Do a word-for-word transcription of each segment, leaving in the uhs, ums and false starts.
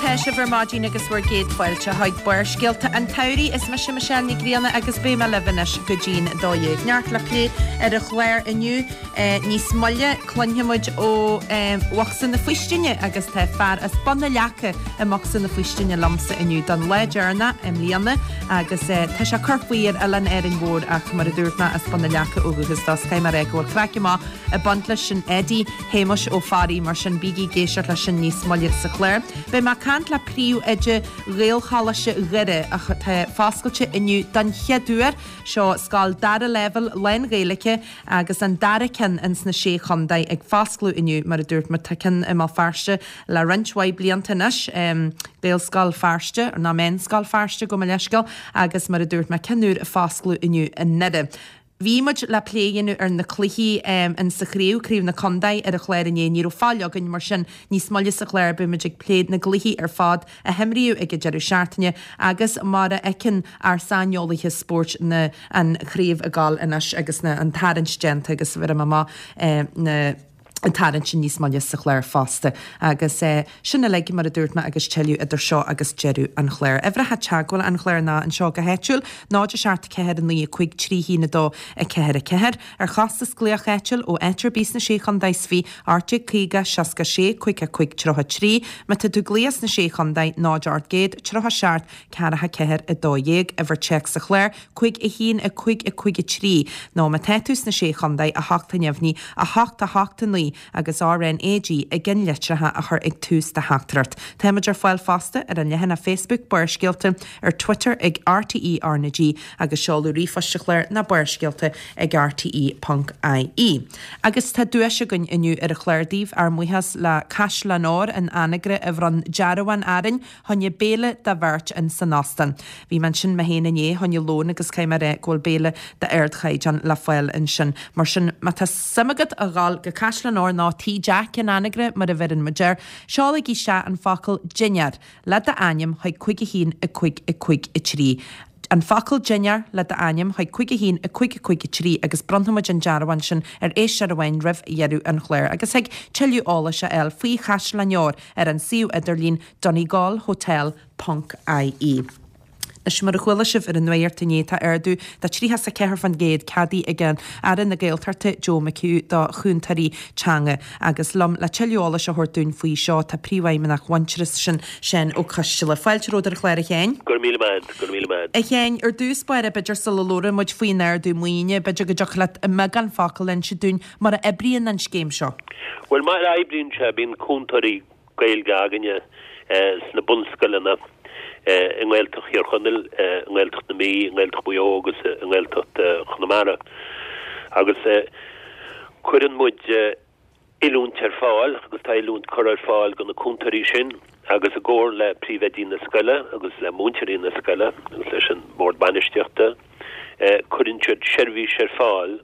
atá sibh ar maidin agus bhur gcéad fáilte chuig Barrscéalta an tsamhraidh is mise Michelle Ní Ghrianna agus beidh mé libh anois go dtí'n dó dhéag. Neart le plé ar an chlár inniu níos moille cluinfimid ó Bhocsa na Faoistine agus tá fear as Bun na Leaca i mBocsa na Faoistine liomsa inniu don lá deireanach i mbliana agus tá sé curtha faoi ar Oileán Árainn Mhór ach mar a dúirt mé as Bun na Leaca ó dhúchas dó caithfidh mé go bhfuil craic maith ag baint leis sin Eddie Shéamuis Ó Fearraigh mar sin bígí ag éisteacht leis sin níos moille sa chlár. Beidh mé ag caint le príomhoide Ghaelcholáiste Dhoire atá foscailte inniu don chéad uair seo scoil dara leibhéal lán-Ghaeilge agus an dara ceann ins na sé chontae ag foscladh inniu mar a dúirt mé tá ceann i mBéal Feirste le roinnt mhaith blianta anois Gaelscoil Feirste ná Meánscoil Feirste gabh mo leithscéal agus mar a dúirt mé ceann úr ag foscladh inniu i nDoire. Bhí muid le plé a dhéanamh ar na cluichí um, in sa chraobh craobh na contae ar an chlár inné ní raibh fáil againn mar sin níos moille sa chlár beimid ag plé na gcluichí ar fad a himríodh ag an deireadh seachtaine agus mar a fheiceann ár saineolaithe spóirt na an chraobh ag gabháil anois agus na an tarraingt déanta agus bhí amach eh, na an tarraingt sin níos moille sa chlár fosta. agus eh, sin uilig mar a dúirt mé agus tuilleadh idir seo agus deireadh an chláir. Uimhreacha teagmhála an chláir ná anseo go háitiúil, náid a seacht ceathair naoi cúig trí haon a dó a ceathair a ceathair, ar chostas glaoch áitiúil ó áit ar bith sna sé chontae is fiche ocht déag caoga seasca sé cúig a cúig tríocha trí, má tá tú ag glaoch sna sé chontae náid ocht gcéad tríocha seacht ceathracha ceathair a dó dhéag uimhir téacs sa chlár cúig a haon a cúig a cúig a trí nó má tá tú sna sé chontae a hocht a neamhní a hocht a hocht a naoi agus RNAG i gceannlitreacha a chur ag tús do theachtaireacht. Táimid ar fáil fosta ar an leathanach Facebook Barrscéalta ar Twitter ag RTE RnaG agus seoladh ríomhphoist an chláir ná barrscéalta ag RTE.ie. Agus tá duais againn inniu ar an chlár daoibh ár mbuíochas le Caisleán Óir in Anagaire a bhronn dearbhán orainn chun béile do bheirt in san óstán. Bhí mé ansin mé féin inné chun lón agus caithfidh mé a rá go bhfuil béile d'ardchaighdeán le fáil ansin. Mar sin má tá suim agat a ghabháil go Caisleán Óir ná Tí Jack in Anagaire mar a bheireann muid air, seolaigí isteach an focal dinnéar le d'ainm chuig cúig a haon a cúig a cúig a trí. An focal dinnéar le d'ainm chuig cúig a haon a cúig a cúig a trí agus bronnfaimid an dearbhán sin ar éisteoir amháin roimh dheireadh an chláir, agus thig tuilleadh eolais a fháil faoi Chaisleán Óir ar an suíomh idirlín donegalhotel.ie. Anois mar a chuala sibh ar an nuacht inné tá ardú de tríocha a ceathair faoin gcéad ceadaithe ag an Aire na Gaeltachta Joe McHugh do chúntóirí teanga agus liom le tuilleadh eolais a thabhairt dúinn faoi seo tá príomhfheidhmeannach Mhuintearas sin Seán Ó Coisteala. Fáilte romhat ar an chlár a Sheáin. Gur míle maith, gur míle maith. A Sheáin ar dtús báire b'fhéidir sula labhróidh muid faoin ardú maoine, b'fhéidir go dtiocfadh leat i mbeagán focal inse dúinn mar a oibríonn an scéim seo. Well mar a oibríonn sé bíonn cúntóirí Gaeilge againne eh, sna bunscoileanna eh, i nGaeltacht Thír Chonaill, eh, i nGaeltacht na Mí, i nGaeltacht Mhaigh Eo agus i nGaeltacht Chonamara. Agus cuireann muid oiliúint ar fáil agus tá oiliúint curtha ar fáil do na cúntóirí sin agus i gcomhar le príomhoidí na scoile agus le múinteoirí na scoile agus leis an bord bainistíochta cuireann siad seirbhís ar fáil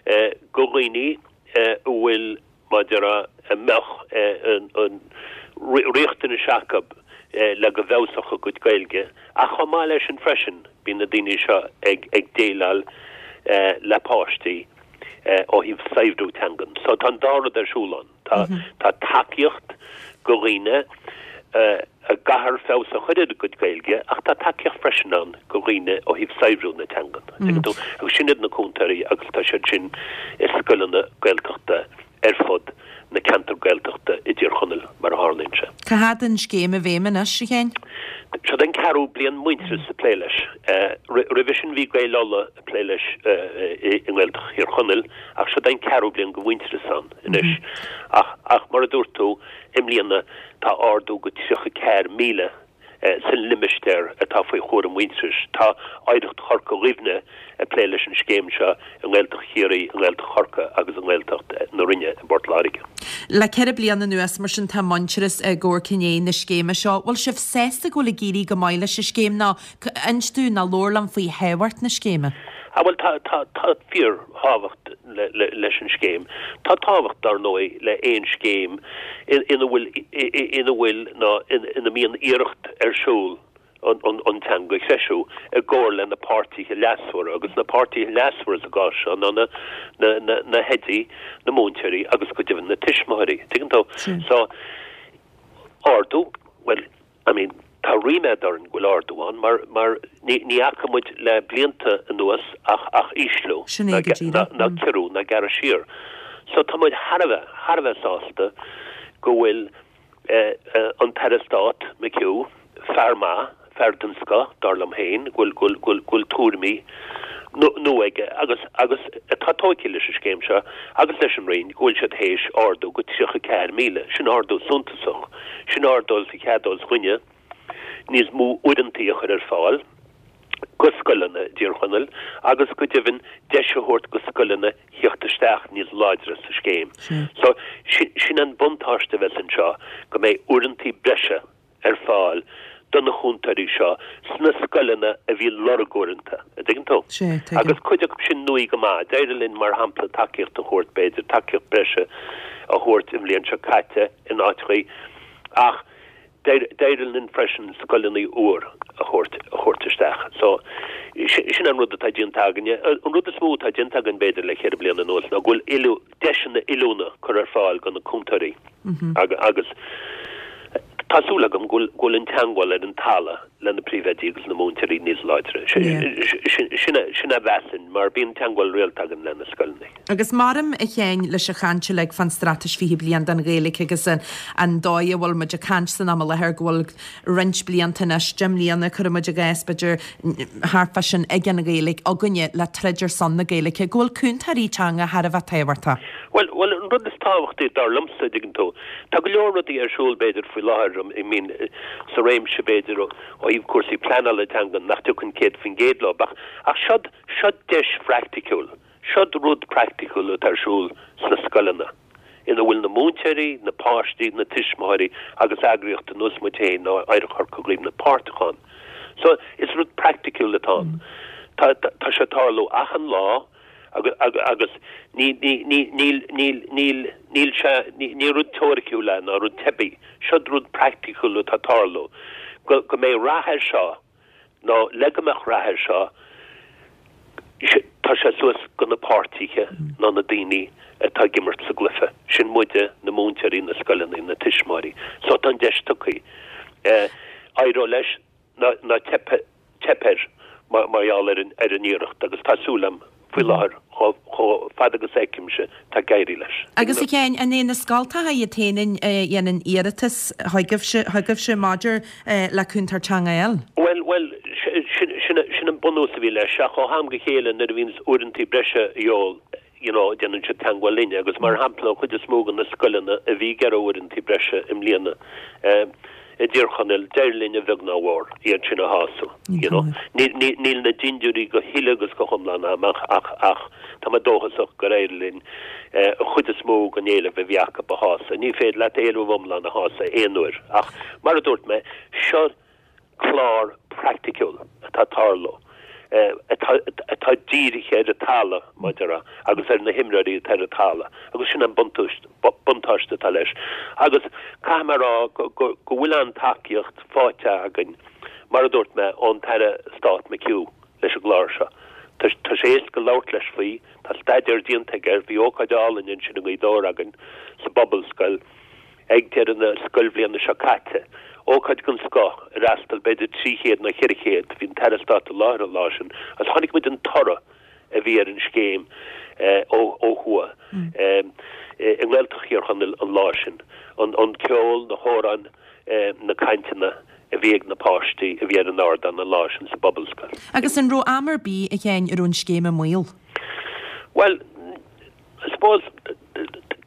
do dhaoine a bhfuil maidir a mbeadh an riachtanas acu le go bhfeabhsódh a gcuid Gaeilge ach chomh maith leis sin freisin bíonn na daoine seo ag ag déileáil le páistí ó thaobh saibhriú teangan. So tá an dá rud ar siúl ann. Tá tá tacaíocht do dhaoine a gcaithfear feabhas a chur ar a gcuid Gaeilge ach tá tacaíocht freisin ann do dhaoine ó thaobh saibhriú na teangan. Agus sin iad na cúntóirí agus tá siad sin i scoileanna Gaeltachta ar fud na ceantar Gaeltachta i dTír Chonaill mar a tharlaíonn sé. Cá fhad an scéim i bhfeidhm anois a Sheáin? Seo den ceathrú bliain Muintearas ag plé leis. Roimhe sin bhí Gaeil Uladh ag plé leis i nGaeltacht Thír Chonaill ach seo den ceathrú bliain go Mhuintearas ann anois. Ach ach mar a dúirt tú i mbliana tá ardú go tríocha ceathair míle san limistéar atá faoi chúram Mhuintearais. Tá Oidhreacht Chorca Dhuibhne ag plé leis an scéim seo i nGaeltacht Chiarraí, i nGaeltacht Chorcaí agus i nGaeltacht na Rinne i bPort Láirge. Le ceithre bliana anuas mar sin tá Muintearas ag amharc i ndiaidh na scéime seo. Bhfuil sibh sásta go bhfuil ag éirí go maith leis an scéim ná inis dúinn ná labhair liom faoi thábhacht na scéime? Ah bhuel tá tá tá fíorthábhacht le, le, leis an scéim. Tá tábhacht dar ndóigh le aon scéim ina bhfuil ina bhfuil ná ina mbíonn iarracht ar siúl an, an, an teanga a threisiú i gcomhar le na páirtithe leasmhara agus na páirtithe leasmhara sa gcás seo ná na, na, na, na hoidí, na múinteoirí agus go deimhin na tuismitheoirí. Tuigeann tú? So ardú, well I mean, tá ríméad orainn go bhfuil ardú ann mar mar ní ní fhaca muid le blianta anuas ach ach ísliú Sin é go díreach. ná ciorrú ná gearradh siar. So tá muid thar a bheith thar a bheith sásta go bhfuil eh, eh, an tAire Stáit McHugh fear maith, fear den scoth dar liom féin, go bhfuil go bhfuil go bhfuil go bhfuil tuairimí nua aige agus agus atá tógtha leis an scéim seo agus leis an Roinn go bhfuil siad théis ardú go tríocha ceathair míle, sin ardú suntasach, sin ardú sa cheadós dhuine níos mó uaireantaí a chur ar fáil go scoileanna i dTír Chonaill agus go deimhin deis a thabhairt go scoileanna theacht isteach níos láidre sa scéim. So sin, sin an buntáiste a bheas anseo go mbeidh uaireantaí breise ar fáil do na cúntóirí seo sna scoileanna a bhí lorg uaireanta, a dtuigeann tú? Sé, tuigim. Agus cuid acu sin nua go maith, d'éirigh linn mar shampla tacaíocht a thabhairt b'fhéidir tacaíocht breise a thabhairt i mbliain seo caite in áiteachaí ach d'éirigh linn freisin scoileanna úr a thabhairt a thabhairt isteach. So sin an rud atá déanta againne. An rud is mó atá déanta againn b'fhéidir le ceithre bliana anuas ná go bhfuil oiliú deiseanna oiliúna curtha ar fáil go na cúntóirí. Agus agus tá súil agam go bhfuil an teagmháil ar an talamh le na príomhoidí agus na múinteoirí níos láidre. Sin sin a mheasaim mar bíonn teagmháil rialta againn le na scoileanna. Agus maram a chéin leis a chainte le fan straitéis fiche bliain don Ghaeilge agus an, an dóigh a bhfuil muid ag caint san am i láthair go bhfuil roinnt blianta anois deich mbliana cuirimid i gcás b'fhéidir thart fá sin ag an Ghaeilge againne le troid ar son na Gaeilge, go bhfuil cúntóirí teanga thar a bheith tábhachtach. Well well an rud is tábhachtaí dar liomsa dtuigeann tú. Tá go leor rudaí ar siúl b'fhéidir faoi láthair I mean sa réimse b'fhéidir ó thaobh cúrsaí pleanála teanga nach dtugann céad faoin gcéad leo ach ach seod seod deis phraiticiúil, seod rud praiticiúil atá ar siúl sna scoileanna. ina bhfuil na múinteoirí, na páistí, na tuismitheoirí agus eagraíocht ar nós muid féin nó Oidhreacht Chorca Dhuibhne páirteach ann. So is rud praiticiúil atá ann. Tá tá sé tarlú achan lá agus agus agus ní ní ní níl níl níl níl sé ní ní rud teoiriciúil é ná rud teibí, seod rud praiticiúil atá tarlú. Go go mbeidh rath air seo nó le go mbeadh rath air seo tá sé suas go na páirtithe ná na daoine atá ag imirt sa gcluiche. Sin muide na múinteoirí na scoileanna na tuismitheoirí. So tá an deis tugtha. Eh, éireoidh leis ná ná teip teip air mar mar gheall ar an ar an iarracht agus tá súil agam faoi láthair chomh chomh fada agus feicimse tá ag éirí leis. Agus a Sheáin an é na scoltacha iad féin a dhéanann iarratas chugaibhse chugaibhse maidir le cúntóir teanga eile. Well well sin sin sin an bunús a bhí leis ach ó am go chéile nuair a bhíonn uaireantaí breise eol you know, déanann siad teagmháil linne agus mar shampla chuid is mó de na scoileanna a bhí ag iarraidh uaireantaí breise i mbliana. Um, i dTír Chonaill d'éirigh linn a bheag ná mhór iad sin a shásamh you know. Níl na dintiúirí go huile agus go hiomlán amach ach ach tá mé dóchasach gur éirigh linn eh, an chuid is mó den éileamh a bhí acu a shásamh. Ní féidir leat éileamh iomlán a shásamh aon uair ach mar a dúirt mé seo clár praiticiúil atá tarlú. Eh, atá atá dírithe ar an talamh maidir agus ar na himreoirí atá ar an talamh agus sin an buntáiste buntáiste atá leis. Agus caithfidh mé rá go go go bhfuil an tacaíocht faighte againn mar a dúirt mé ón Aire Stáit McHugh leis an gclár seo. Tá tá sé éasca labhairt leis faoi, tá staidéar déanta aige, bhí ócáid álainn ansin i nGaoth Dobhair againn sa bPobalscoil ag deireadh na scoilbhliana seo caite. Ócáid den scoth ar fhreastail b'fhéidir trí chéad nó ceithre chéad bhí an tAire Stáit i láthair an lá sin, agus chonaic muid an toradh a bhí ar an scéim eh, ó ó thuaidh. Mm. I nGaeltacht Thír Chonaill an lá sin. An, an ceol, na hamhráin, eh, na cainteanna a bhí ag na páistí a bhí ar an ardán an lá sin sa bPobalscoil. Agus an raibh am ar bith a Sheáin ar an scéim i mbaol. Well, I suppose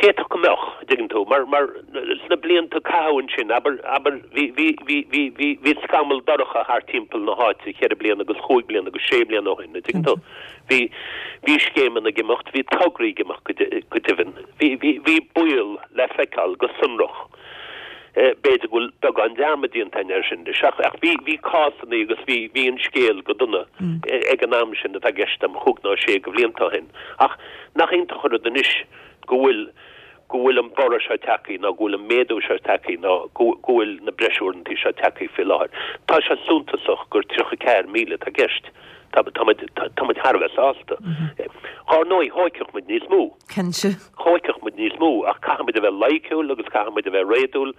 d'fhéadfadh go mbeadh dtuigeann tú mar mar sna blianta caitheamh ansin aber aber bhí bhí bhí bhí bhí bhí scamall dorcha thart timpeall na háite ceithre bliana agus cúig bliana agus sé bliana ó shin dtuigeann tú bhí bhí scéimeanna ag imeacht bhí tograí ag imeacht go go deimhin bhí bhí bhí baol le feiceáil go sonrach eh, b'fhéidir go bhfuil beagán dearmad déanta air sin ach ach bhí bhí cásanna agus bhí bhí an scéal go dona mm. ag an am sin atá i gceist agam cúig nó sé de bhlianta ó shin ach nach iontach an rud anois go bhfuil go bhfuil an borradh seo tagtha nó go bhfuil an méadú seo tagtha nó go bhfuil na breisuaireantaí seo tagtha faoi láthair. Tá sé suntasach gur tríocha ceathair míle atá i gceist. Tá tá muid tá muid thar a bheith sásta. Ar ndóigh thógfadh muid níos mó. Cinnte. Thógfadh muid níos mó ach caithfidh muid a bheith loighciúil agus caithfidh muid a bheith réadúil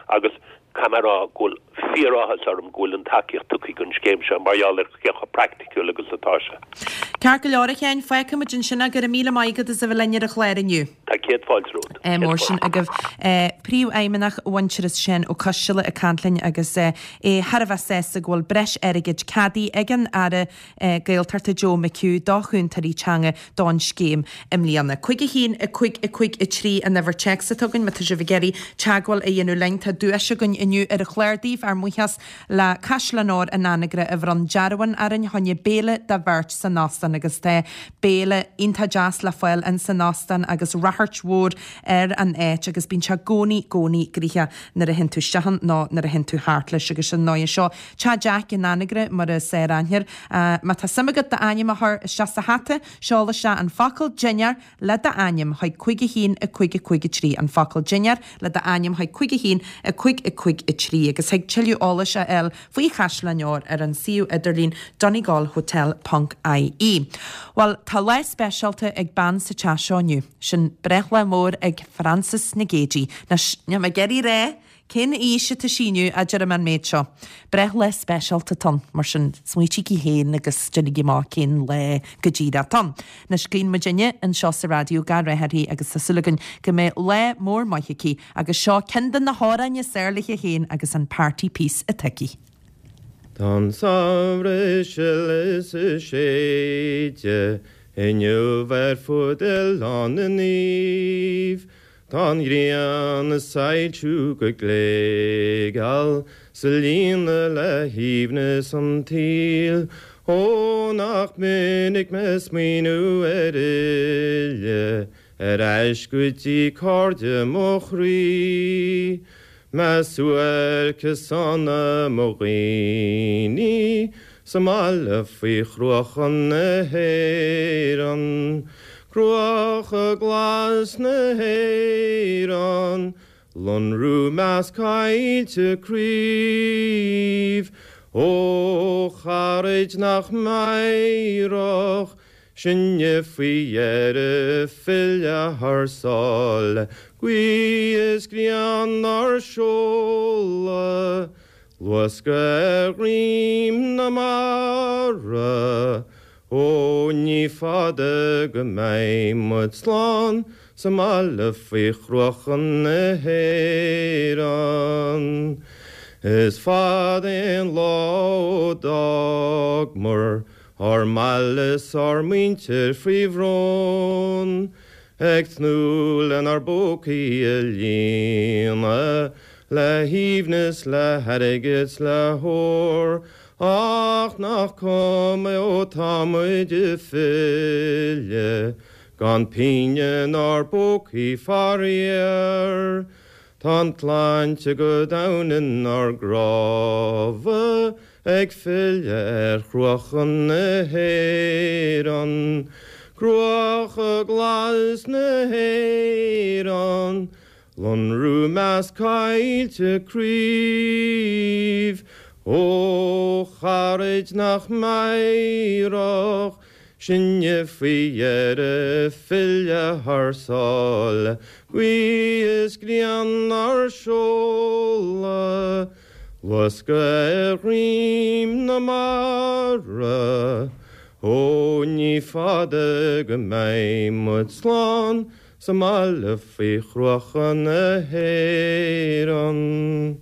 agus caithfidh mé a rá go bhfuil fíoráthas orm go bhfuil an tacaíocht tugtha don scéim seo mar gheall ar cé chomh praiticiúil agus atá sé. Ceart go leor a Sheáin, fágfaidh muid ansin é go raibh míle maith agat as a bheith linn ar an chlár inniu. Tá céad fáilte romhat. Eh, mór sin agaibh eh, Príomhfheidhmeannach Mhuintearas Seán Ó Coisteala ag caint linn agus eh, é thar a bheith sásta go bhfuil breis airgid ceadaithe ag an Aire eh, Gaeltachta Joe McHugh do chúntóirí teanga don scéim i mbliana. Cúig a haon a cúig a cúig a trí an uimhir téacs atá againn má tá sibh ag iarraidh teagmháil a dhéanamh linn tá duais againn inniu ar an chlár daoibh ár mbuíochas le Caisleán Óir an Anagaire a bhronn dearbhán orainn fá choinne béile do bheirt san óstán agus tá béile iontach deas le fáil in san óstán agus radharc mhór ar an áit agus bíonn sé i gcónaí i gcónaí gnoitheach nuair a théann tú isteach ann nó nuair a théann tú thart leis agus sin nóigh seo Teach Jack in Anagaire mar is aithnítear. Má tá suim agat d'ainm a chur isteach sa hata, seol isteach an focal dinnéar le d'ainm chuig cúig a haon a cúig a cúig a trí an focal dinnéar le d'ainm chuig cúig a haon a cúig a cúig a trí agus thig tuilleadh eolais a fháil faoi Chaisleán Óir ar an suíomh idirlín donegalhotel.ie. Well tá lá speisialta ag bean sa teach seo inniu, sin breithlá mór ag Frances Nic Géadaigh. Níl mé ag iarraidh a rá cén aois atá sí inniu a deir an méid seo. Breithlá speisialta atá ann, mar sin smaoitígí féin agus déanaigí amach cén lá go díreach atá ann. Anois guíonn muidinne anseo sa raidió gach rath uirthi agus tá súil againn go mbeidh lá mór maith aici agus seo ceann de na hamhráin is fearr léi féin agus an party piece atá aici. Tá an samhradh ag sileadh is ag séideadh inniu ar fud Oileán na Naomh. Tá an ghrian ag soilsiú go gléigeal 's ag líonadh le haoibhneas an tsaoil, Ó nach minic mé ag smaoineamh ar fhilleadh ar ais go dtí cairde mo chroí. Mé suairce sona mo dhaoine sa mbaile faoi chruacha na hÉireann. Cruacha glas na hÉireann, lonrú measc coillte craobh, Ó charaid nach meidhreach sinne faoi dheireadh filleadh thar sáile, Gaoth is grian ár seoladh, luascadh ar dhroim na mara, Ó ní fada go mbeidh muid slán sa mbaile faoi chruacha na hÉireann. Is fada an lá ó d'fhágamar ár mbaile 's ár muintir faoi bhrón, Ag tnúth lenár bpócaí a líonadh le haoibhneas le hairgead 's le hór, Ach nach cuma ó tá muid ag filleadh gan pingin inár bpócaí faraor. Tá an tsláinte go domhain inár gcnámha ag filleadh ar chruacha na hÉireann. Cruacha glas na hÉireann, lonrú measc coillte craobh, Ó charaid nach meidhreach sinne faoi dheireadh filleadh thar sáile, Gaoth is grian ár seoladh, luascadh ar dhroim na mara, Ó ní fada go mbeidh muid slán sa mbaile faoi chruacha na hÉireann.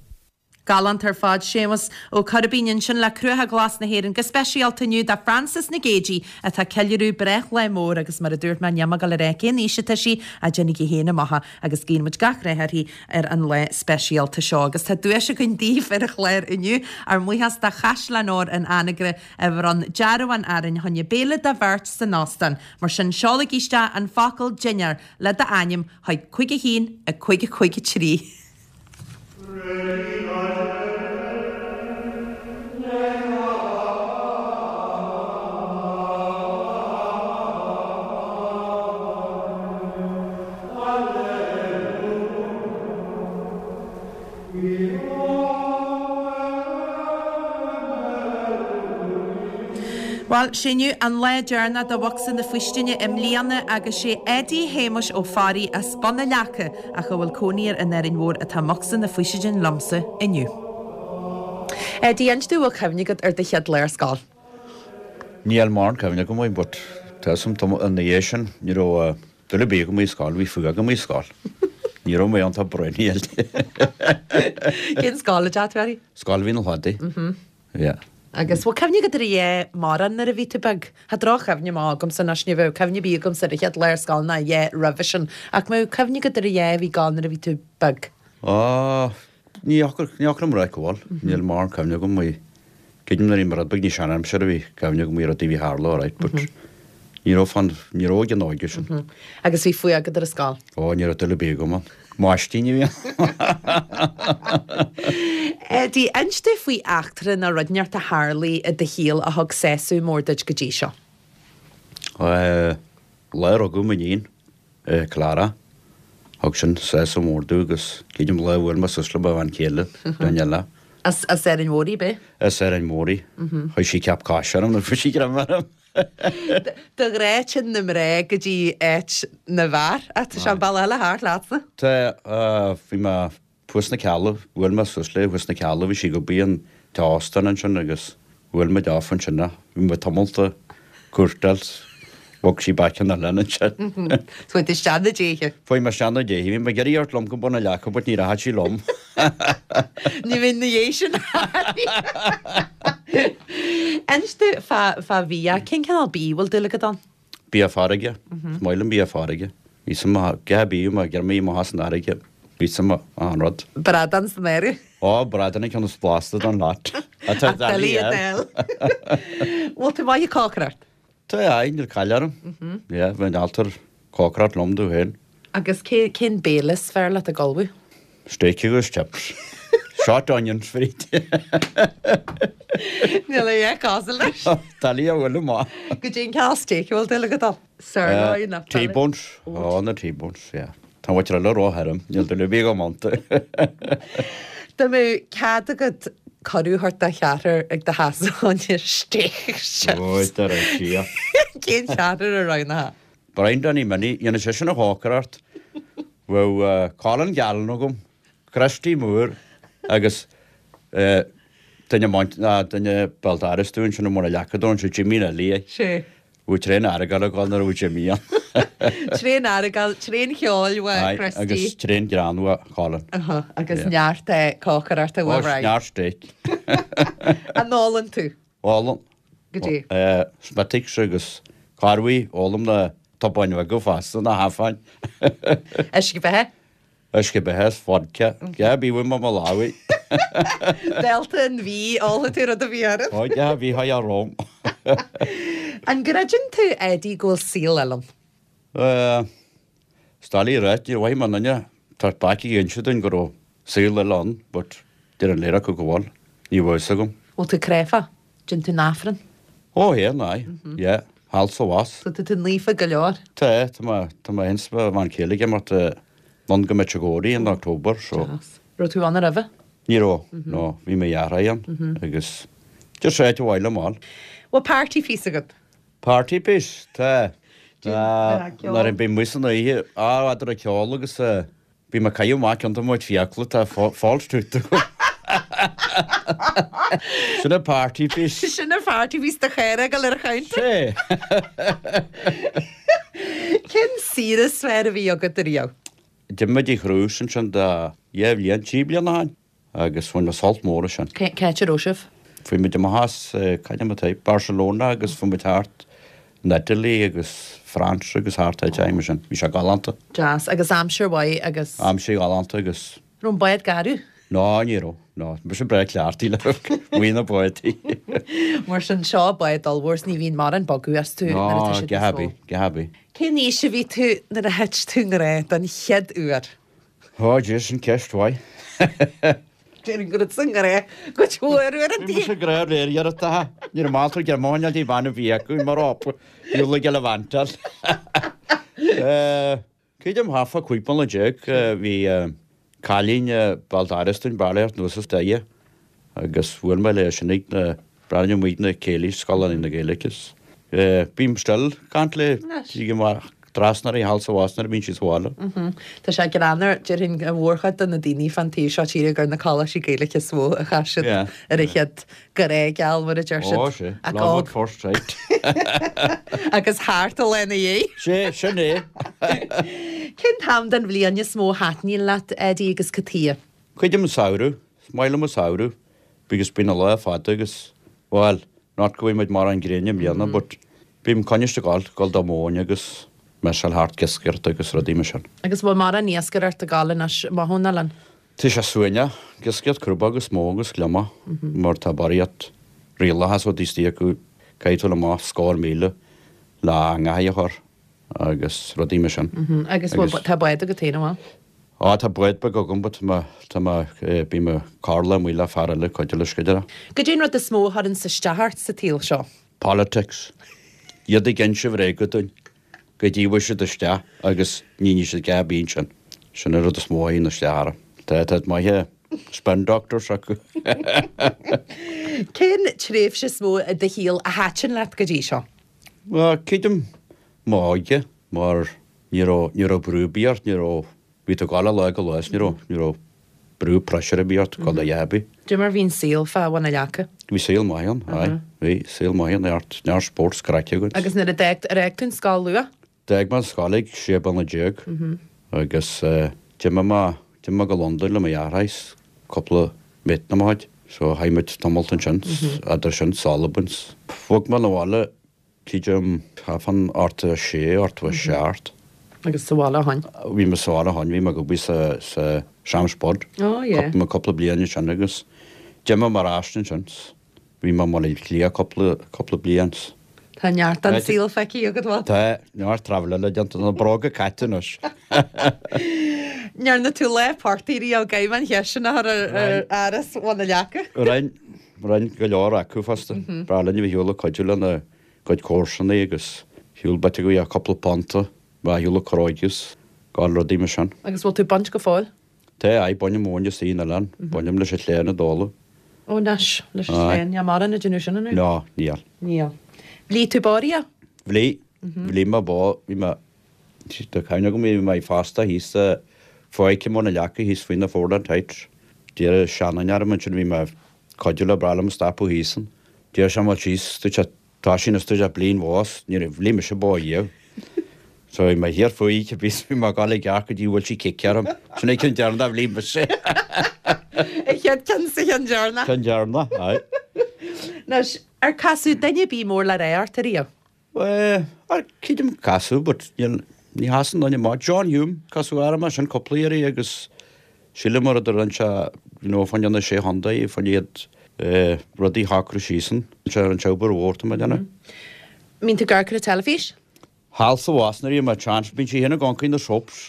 Galánta ar fad Séamus Ó Coirbín ansin le Cruacha Glas na hÉireann go speisialta inniu do Frances Nic Géadaigh atá ag ceiliúradh breithlá mór agus mar a dúirt mé níl mé ag dul a rá cén aois atá sí ach déanaigí féin amach agus guíonn muid gach rath uirthi ar an lá speisialta seo agus tá duais againn daoibh ar an chlár inniu ár mbuíochas do Chaisleán Óir an Anagaire a bhronn dearbhán orainn fá choinne béile do bheirt san óstán mar sin seolaigí isteach an focal dinnéar le d'ainm chuig cúig a haon a cúig a cúig a trí. Bhuel, sé inniu an lá deireanach do Bhocsa na Faoistine i mbliana agus sé Eddie Shéamuis Ó Fearraigh as Bun na Leaca ach a bhfuil cónaí air in Árainn Mhór atá i mBocsa na Faoistine liomsa inniu. Eddie, inis domh an bhfuil cuimhne agat ar do chéad lá ar scoil. Níl mórán cuimhne agam air, but tá a fhios agam ina dhiaidh sin, ní raibh dul ar bith agam i scoil, bhí fuath agam i scoil. Ní raibh mé iontach bréanaíl. Cén scoil a d'fhéadfadh tú, Eddie? Scoil Mhín an Chladaigh. Yeah. Agus bhfuil cuimhne agat ar a dhath mórán nuair a bhí tú beag? Tá droch-chuimhne maith agamsa anois, ní bheadh cuimhne ar bith agamsa ar an chéad lá ar scoil ná a dhath roimhe sin. Ach mbeadh cuimhne agat ar a dhath a bhí gall nuair a bhí tú beag? Á, ní fhocal, ní fhocal am raic bhfuil. Níl mórán cuimhne agam í. Creidim nuair a bhí mé rud beag níos seanaimseartha a bhí cuimhne agam ar rudaí a bhí tharla alright but ní raibh fan, ní raibh ag an óige sin. Agus bhí fuath agat ar an scoil? Ó, ní raibh dul ar bith agam ann. Máistín a bhí ann. Eddie, inis domh faoi eachtra nó rud inteacht a tharlaigh i do shaol a thug sásamh mór duit go dtí seo. Lá a rugadh m'iníon, Clara, thug sin sásamh mór domh agus creidim lá a bhuail mé suas le mo bhean chéile, Daniela. As Árainn Mhór í, b'é? As Árainn Mhór í. Chuir sí ceap cáise orm nuair a fuair sí greim orm. Do ghrá tinn na mná go dtí áit na bhfear, ach tá sé an bealach eile thart leatsa. Tá, bhí mé thuas sna Cealla, bhuail mé suas léi thuas sna Cealla, bhí sí ag obair in teach óstán ansin agus bhuail muid off ansin, bhí muid tamall ag cuairteáil, bhog sí back an oileán ansin. Chuaigh tú isteach na déithe. Chuaigh mé isteach na déithe, bhí mé ag iarraidh a thabhairt liom go Bun an Leaca but ní rachaidh sí liom. Ní bheinn na dhiaidh sin. Inis domh fá fá bhia, cén cineál bídh a bhfuil dúil agat ann? Bia farraige, is maith liom bia farraige. Bhí suim agam, gach bia má ghearr mé amach as an fharraige, bhí suim agam an rud. Bradán san áireamh. Ó, bradán an ceann is blasta don lot. Atá Ach doiligh a d'fháil. Bhfuil tú maith ag cócaireacht? Tá, aye, níl caill orm. Yeah, bheinn ábalta cócaireacht liom domh féin. Agus cé, cén béile is fearr leat ag ullmhú? Steak agus chips. Short onions fríd. Níl a dhath cosúil leis. Doiligh a bhualadh amach. Goidé an cineál steak a bhfuil dúil agat ann? Sirloin nó fillet? T-bones. Ó, na T-bones, yeah. Tá muid ar róthirim, níl dúil ar bith agam iontu. Dá mbeadh cead agat cuireadh a thabhairt do cheathrar ag do theachsa fá choinne steak agus chips. Ó, dar ar siar. Cén cheathrar a roghnófá? Brian Danny Minnie, dhéanadh seisean an chócaireacht. Bheadh Colin Gallen agam, Christy Moore agus duine duine béal dorais dúinn sin i mBun an Leaca dó, sé Jimmy Nelly é. Sé. Bhí tréan aireagail ag dul nuair a bhí Jimmy ann. Tréan aireagail, tréan cheoil uaidh Christy. Agus tréan greann uaidh Colin. Aha, agus neart cócaireachta uaidh Brian. Ó, neart steak. An ólann tú? Ólann. Goidé? Smithwick's agus corruair, ólaim na tobáin bheaga fosta, na hafáin. Uisce beatha? Uisce beatha is vodka. Dhá bí uaim mo lámhaigh. Dálta an mhí, ólfaidh tú rud a bhí orm. Ó, dhá bhí thá romham. An gcreideann tú, Eddie, go bhfuil saol eile ann? Is doiligh a ráit, níor mhaith mo dhuine tabhairt bac ag inse dúinn go raibh saol eile ann, but deir an léir acu go bhfuil. Ní bheadh fhios agam. Bhfuil tú cráifeach? Déanann tú an Aifreann? Ó, théann, aye. Yeah. Thall 's abhus. So tá tú naofa go leor? Tá, tá mé, tá mé ins mo bhean chéile ag imeacht anonn go Medjugorje in October, so. Deas. Raibh tú ann roimhe? Ní raibh, no, bhí mo dheartháir ann agus just áit a mhaith liom fháil. Bhfuil party piece agat? Party piece? Tá. Nuair a bhí muid san oíche, á, eadar an ceol agus bhí mé ag caitheamh amach cionn de mo chuid fiacla, tá false tooth agam. Sin an party piece. Sin an party piece do chara ag dul ar an chounter. Sé. Cén saoire is fearr a bhí agat ariamh? D'imigh muid ar chrús ansin do dhá bhliain, trí bliana ó shin agus bhain mé sult mór as sin. Cén áit a raibh sibh? Fuaigh muid amach as, cad é mar atá, Barcelona agus fuaigh muid thart in Italy agus France agus thart áit mar sin. Bhí sé galánta. Deas. Agus aimsir mhaith agus. Aimsir ghalánta agus. Raibh an bád garbh? Ná, ní raibh. Ná. Mise breá cleachtaithe le maoin na bádaí. Mar sin, seo bád ollmhór is ní bhíonn mórán bogadh astu nuair atá Ná, siad go níos mó. happy, go happy. Cén aois a bhí tú nuair a thit tú i ngrá don chéad uair? Ó, Dia, sin ceist mhaith. Déarfainn go raibh tú i ngrá cuid mhór uaireanta. Bhí mise i ngrá réir iarratacha. Ní raibh m'altra ag iarraidh mo choinneáil bhean a bhí acu mar op, diabhal ag gallivant-áil. Creidim thart fá cúig bliana déag bhí cailín béal dorais dúinn, bailithe anuas as Doire agus bhuail mé léi sin ag na Breathnaím muid na céilí, scoileanna na Gaeilge is bím still ag caint léi, sílim trasna uirthi thall 's abhus nuair a bhíonn sí sa bhaile. Tá sé greannmhar, déarfainn an mhórchuid de na daoine fán taobh seo tíre gur na coláistí Gaeilge is mó a chaith siad ar an chéad grá geal mar a deir siad. Ó, sé, love at first sight. Agus thart a lena dhiaidh. Sé, sin é. Cén t-am den bhliain is mó a thaitníonn leat, Eddie, agus cad chuige? Creidim an samhradh, is maith liom an samhradh because bíonn an lá fada agus, bhuel, not go bhfaighidh muid mórán gréine i mbliana but bím coinniste ag gabháil, gabháil do mhóin agus meiseáil thart iascaireacht agus rudaí mar sin. Agus bhfuil mórán iascaireacht ag gabháil anois amuigh ón oileán? Tá sé suaimhneach, iascaireacht crúbóg is mó agus gliomach mar tá barraíocht rialacha so istigh acu, caithfidh tú dul amach scór míle le eangachaí a chur agus rudaí mar sin. Agus bhfuil, tá bád agat féin, an bhfuil? Á, tá bád beag agam but tá mé, tá mé, bím ag corrlach amuigh le fear eile cuidiú leis go deireadh. Goidé an rud is mó a chuireanns isteach ort sa tsaol seo? Politics. Iad ag inse bhréaga dúinn. Go dtí bhfuil siad isteach agus ní ní siad dhá bíonn sin. Sin an rud is mó a théann isteach orm. Tá, tá maithe spin doctors acu. Cén tréimhse is mó i do shaol a thaitin leat go dtí seo? Bhuel, creidim m'óige mar ní raibh, ní raibh brú ar bith ort, ní raibh, bhí tú ag gabháil ó lá go lá is ní raibh, ní raibh brú pressure ar bith ort gabháil a dhath ar bith. Cad é mar bhí an saol fá Bhun an Leaca? Bhí saol maith ann, aye, bhí saol maith ann, neart, neart spórt 's craic againn. Agus nuair a d'fhág, ar fhág tú an scoil luath? D'fhág mé an scoil ag sé bliana déag agus d'imigh mé, d'imigh mé go Londain le mo dheartháir 's cúpla mate de mo chuid, so chaith muid tamalt ansin, eadar sin 's Albain 's bhog mé 'na bhaile Creidim fán ochtó a sé, ochtó a seacht. Agus sa bhaile ó shin? Bhí mé sa bhaile ó shin, bhí mé ag obair sa, sa Sam's Spud. Oh yeah. Cúpla, cúpla bliain ansin agus d'imigh mé ar ais ansin. Bhí mé i mBaile Átha Cliath cúpla, cúpla bliain. Tá neart den saol feicthe agat, bhuel. Tá, neart travel eile déanta, na bróga caite anois. Ndearna tú lá portaigh riamh, caithfidh mé an cheist sin a chur ar, ar Áras Bhun na Leaca? Rinn, rinn go leor acu fosta. B'fhearr linn a bheith ar shiúl ag cuidiú lena gcuid comharsanaí agus shiúl bit acu a cúpla punta, bheith ar shiúl ag cróigeadh is gabháil rudaí mar sin. Agus bhfuil tú ag baint go fóill? Tá, aye, bainim móin istigh in oileán, bainim leis an tsléan i dtólamh. Ó anois, leis an tsléan, níl mórán ag déanamh sin anois? No, níl. Níl. Bhligh tú bó riamh? Bhligh, bhligh mé bó, bhí mé, tá cuimhne agam, bhí mé fosta thíos sa Fáice i mBun na Leaca thíos faoi na Foreland Heights. D'iarr seanduine orm ansin, bhí mé ag cuidiú le breá liom stopadh thíos ann. D'iarr sé mé síos, dúirt sé, Tá sin istigh le bliain bhás, ní raibh bhí mise bó riamh. So bhí mé thiar faoi oíche bhí bhí mé ag dul ag gearr go dtí bhfuil sí cic orm. Sin é ceann deireanach a bhí mise. An chéad ceann sa cheann deireanach. Ceann deireanach, aye. Anois, ar casadh duine ar bith mór le rá ort ariamh? Bhuel, ar creidim casadh but níl, ní chasann duine maith. John Hume, casadh orm é sin cúpla iarraidh agus sílim mar a rinne sé, you know, fá choinne na Sé Chontae, fá choinne iad eh, rudaí a shocrú síos ann. Sé an obair mhór tá mé ag déanamh. Mbíonn tú ag amharc ar an teilifís? Thall sa bhás nuair a bhí mé chance, bíonn sí féin ag amharc ar na soaps.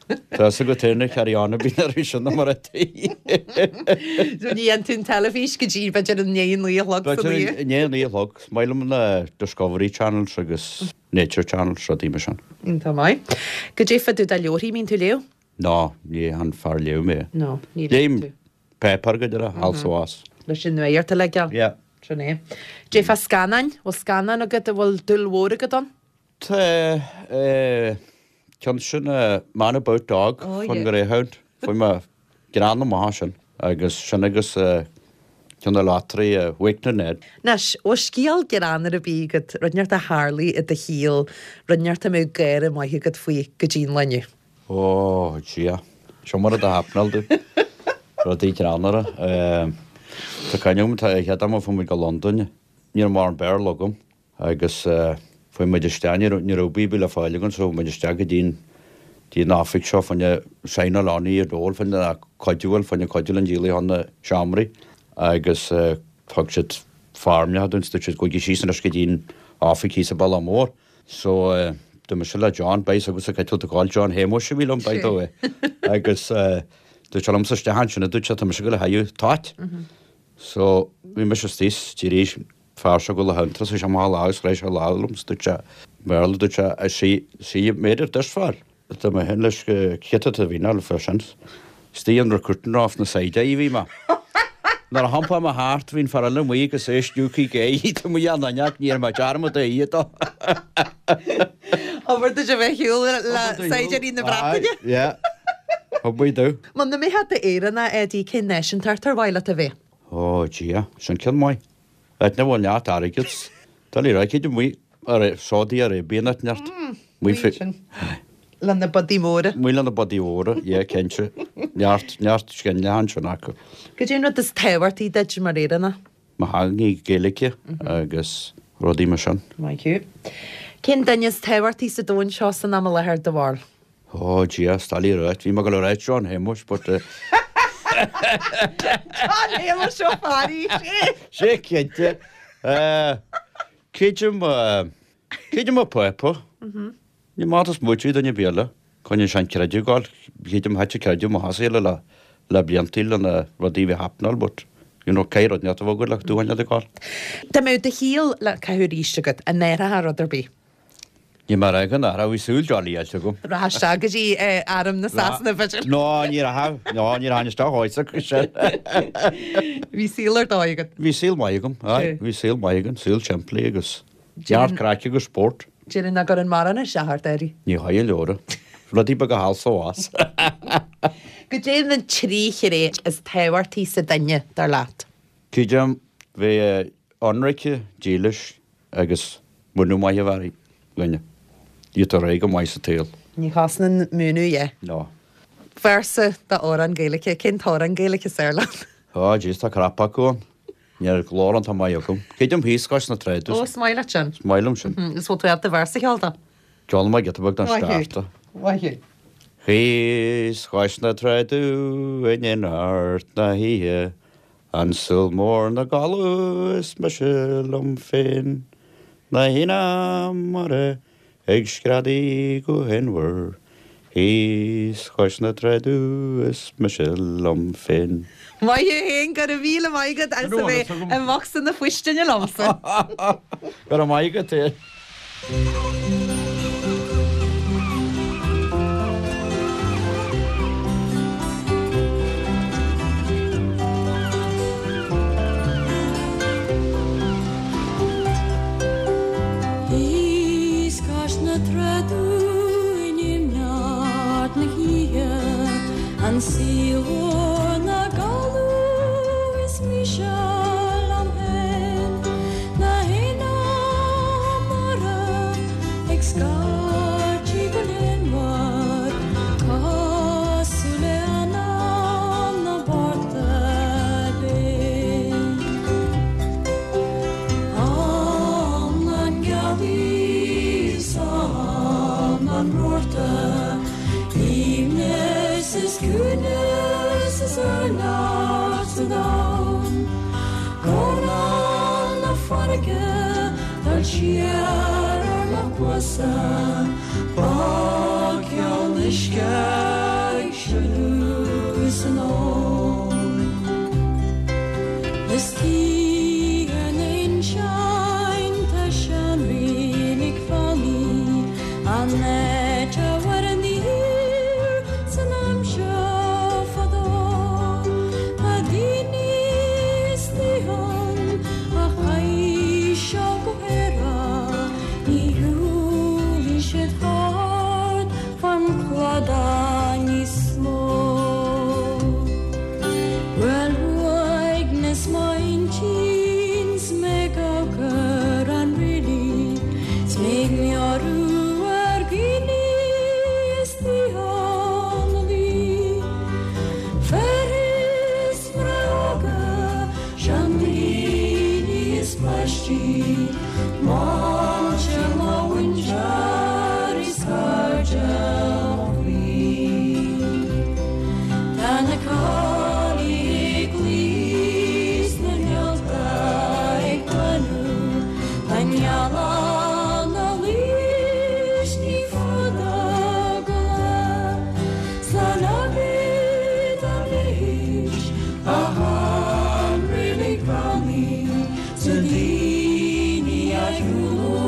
Tá fhios agat féin na carry on a bíonn orthu sin mar a tí. So ní dhéanann tú an teilifís go dtí b'fhéidir i ndiaidh a naoi a chlog san oíche? B'fhéidir i ndiaidh a naoi a chlog. Is maith liom na Discovery Channels agus Nature Channels, rudaí mar sin. Iontach maith. Goidé fá dtaobh de leabharthaí, mbíonn tú ag léamh? Ná, ní han fear léamh mé. No, ní léann Léim tú. páipéar go deireadh, thall sa bhás. Leis an nuacht a ligean. Yeah. Sin é. Goidé fá scannáin, bhfuil scannán agat a bhfuil dúil mhór agat ann? Tá, eh, ceann sin, eh, Man About Dog, Oh, fán yeah. Greyhound. Fuair mé greann amach as sin. Agus sin agus, eh, ceann na lottery, eh, Wakening Ned. Anois, bhfuil scéal greannmhar ar bith agat, rud inteacht a tharlaigh i do shaol, rud inteacht a mbeadh gáire maith agat faoi go dtí an lá inniu? Ó, Dia. Seo mar a d'happenáil domh. Rudaí greannmhara. Tá cuimhne agam, tá chéad am a fuair muid go Londain, ní raibh mórán Béarla agam agus fuair muid isteach, ní raibh, ní raibh bíobla le fáil againn so fuair muid isteach go dtí an, dtí an oifig seo fá choinne signáil on i dól, fá choinne cuidiú, bhuel, fá choinne cuidiú linn díol chun na seomraí agus thug siad foirmeacha dúinn, dúirt siad gabhaigí síos anois go dtí an oifig thíos i Bealach Mór. So, dúirt mise le John, beidh fhios agat cá bhfuil tú ag gabháil, John Shéamuis a bhí liom, by the way. Agus dúirt sé liomsa isteach ansin, dúirt sé, tá mise ag gabháil a thaidhg toit. So, bhí mise istigh, d'éirigh an fear seo ag gabháil a thiontar, sé amach a lámh agus chroith sé a lámh liom, dúirt sé, Béarla, dúirt sé, I see, see you've made it this far. Dúirt mé féin leis, cé tá a bhí ná fé sin. Istigh an recruiting off na side a bhí mé. Nuair a thiompáil mé thart bhí an fear eile amuigh agus é stiúgtha aige tá muid an aneac ní raibh mé dearmad a iad dó. Obair duit a bheith shiúl le saighdiúirí na Breataine. Yeah. Thug muid dó. Muna mbeifeá i d'Éireannach, Eddie, cén náisiúntacht ar mhaith leat a bheith? Ó, Dia, sin ceann maith. Áit ina bhfuil neart airgead. Tá ní raibh céad amuigh ar Saudi Arabia neart neart. Muid fi- Sin. Le na badaí móra. Muid le na badaí móra, yeah, cinnte. Neart, neart sceine ansin acu. Cad é an rud is tábhachtaí duit mar Éireannach? Mo theanga Gaeilge agus rudaí mar sin. Maith thú. Cén duine is tábhachtaí sa domhan seo san am i láthair do bharúil? Ó, Dia, is doiligh a ráit. Bhí mé ag dul a ráit John Shéamuis, but uh, John Shéamuis Ó Fearraigh, sé! Sé cinnte. Uh, Creidim, uh, creidim mo phápa. Ní maith is muid duine béile. Coinne sin creideamh gáil, creidim thit creideamh mo thasaíle le le bliantaí le na rudaí bhí happenáil, but you know, cé rud neart a bhógad le dúhain le gáil. Dá mbeadh do shaol le caitheamh arís agat, an n-athrófá rud ar bith. Ní mar ag an ara bhí súil jolly eile agam. Rachfá isteach go dtí eh, arm na Sasana b'fhéidir. No, ní raibh, no, ní raibh isteach áit sin. Bhí saol ar dóigh agat. Bhí saol maith agam, aye, bhí saol maith agam, saol simplí agus neart craic agus spórt. Déarfainn nach gcuireann mórán isteach ort, Eddie. Ní chaithfidh leora. Rudaí beaga thall is abhus. Cad é na trí thréith is tábhachtaí sa duine dar leat. Creidim bheith ionraice, dílis agus múineadh maith a bheith ar dhuine. Iad ar aghaidh go maith sa tsaol. Ní chosnaíonn múineadh é. No. Véarsa d'amhrán Gaeilge, cén t-amhrán Gaeilge is fearr leat? Ó, jeez, tá crap acu ann. Ní raibh glór an tá maith agam. Creidim thíos cois na tráide. Ó, is maith leat sin. Is maith liom sin. Is bhfuil tú ábalta véarsa a cheol dó? Ceol maith giota beag don Maith thú. start. Maith thú. Thíos cois na tráide in imeacht na hoíche, an saol mór 'na gcodladh is mise liom féin, na héin mara ag screadaí go hinbhar, thíos cois na tráide is mise liom féin. Maith thú féin, go raibh míle maith agat as a bheith i mbocsa na faoistine liomsa. Go raibh maith agat é. Thíos cois na tráide in imneart na hoíche, an saol mór 'na gcodladh is mise liom féin, na héin mara ag scairtigh go léanmhar, cosúil le anam na porta binn. Am na gealaí 's am an Mhárta, aoibhneas is ciúnas is urlár sa domhan, Gormán na farraige dul siar ar mo chluasa, Bogceann uisce ag sileadh san abhainn. Is tí ar na hinseanta seanreilig fánaí, an áit a bhfuair an fhíor san aimsir fadó. Tá daoine istigh ann a chaith seo go hÉire, ní shiúlfaidh siad thart fan cladach níos mó. Well, uaigneas m'intinn 's mé ag amharc ar an reilig, 's mé ag meabhrú ar dhaoine istigh ann a bhí. Fir is mná óga, seandaoine is páistí, máinte mo mhuintir is cairde mo chroí. Tá na caillí ag luí 's na néalta ag glanadh, tá an ghealach 'na luí 's ní fada go lá. Slán agaibh anois, a sheanreilig bheannaithe, 's na daoine a shiúlóidh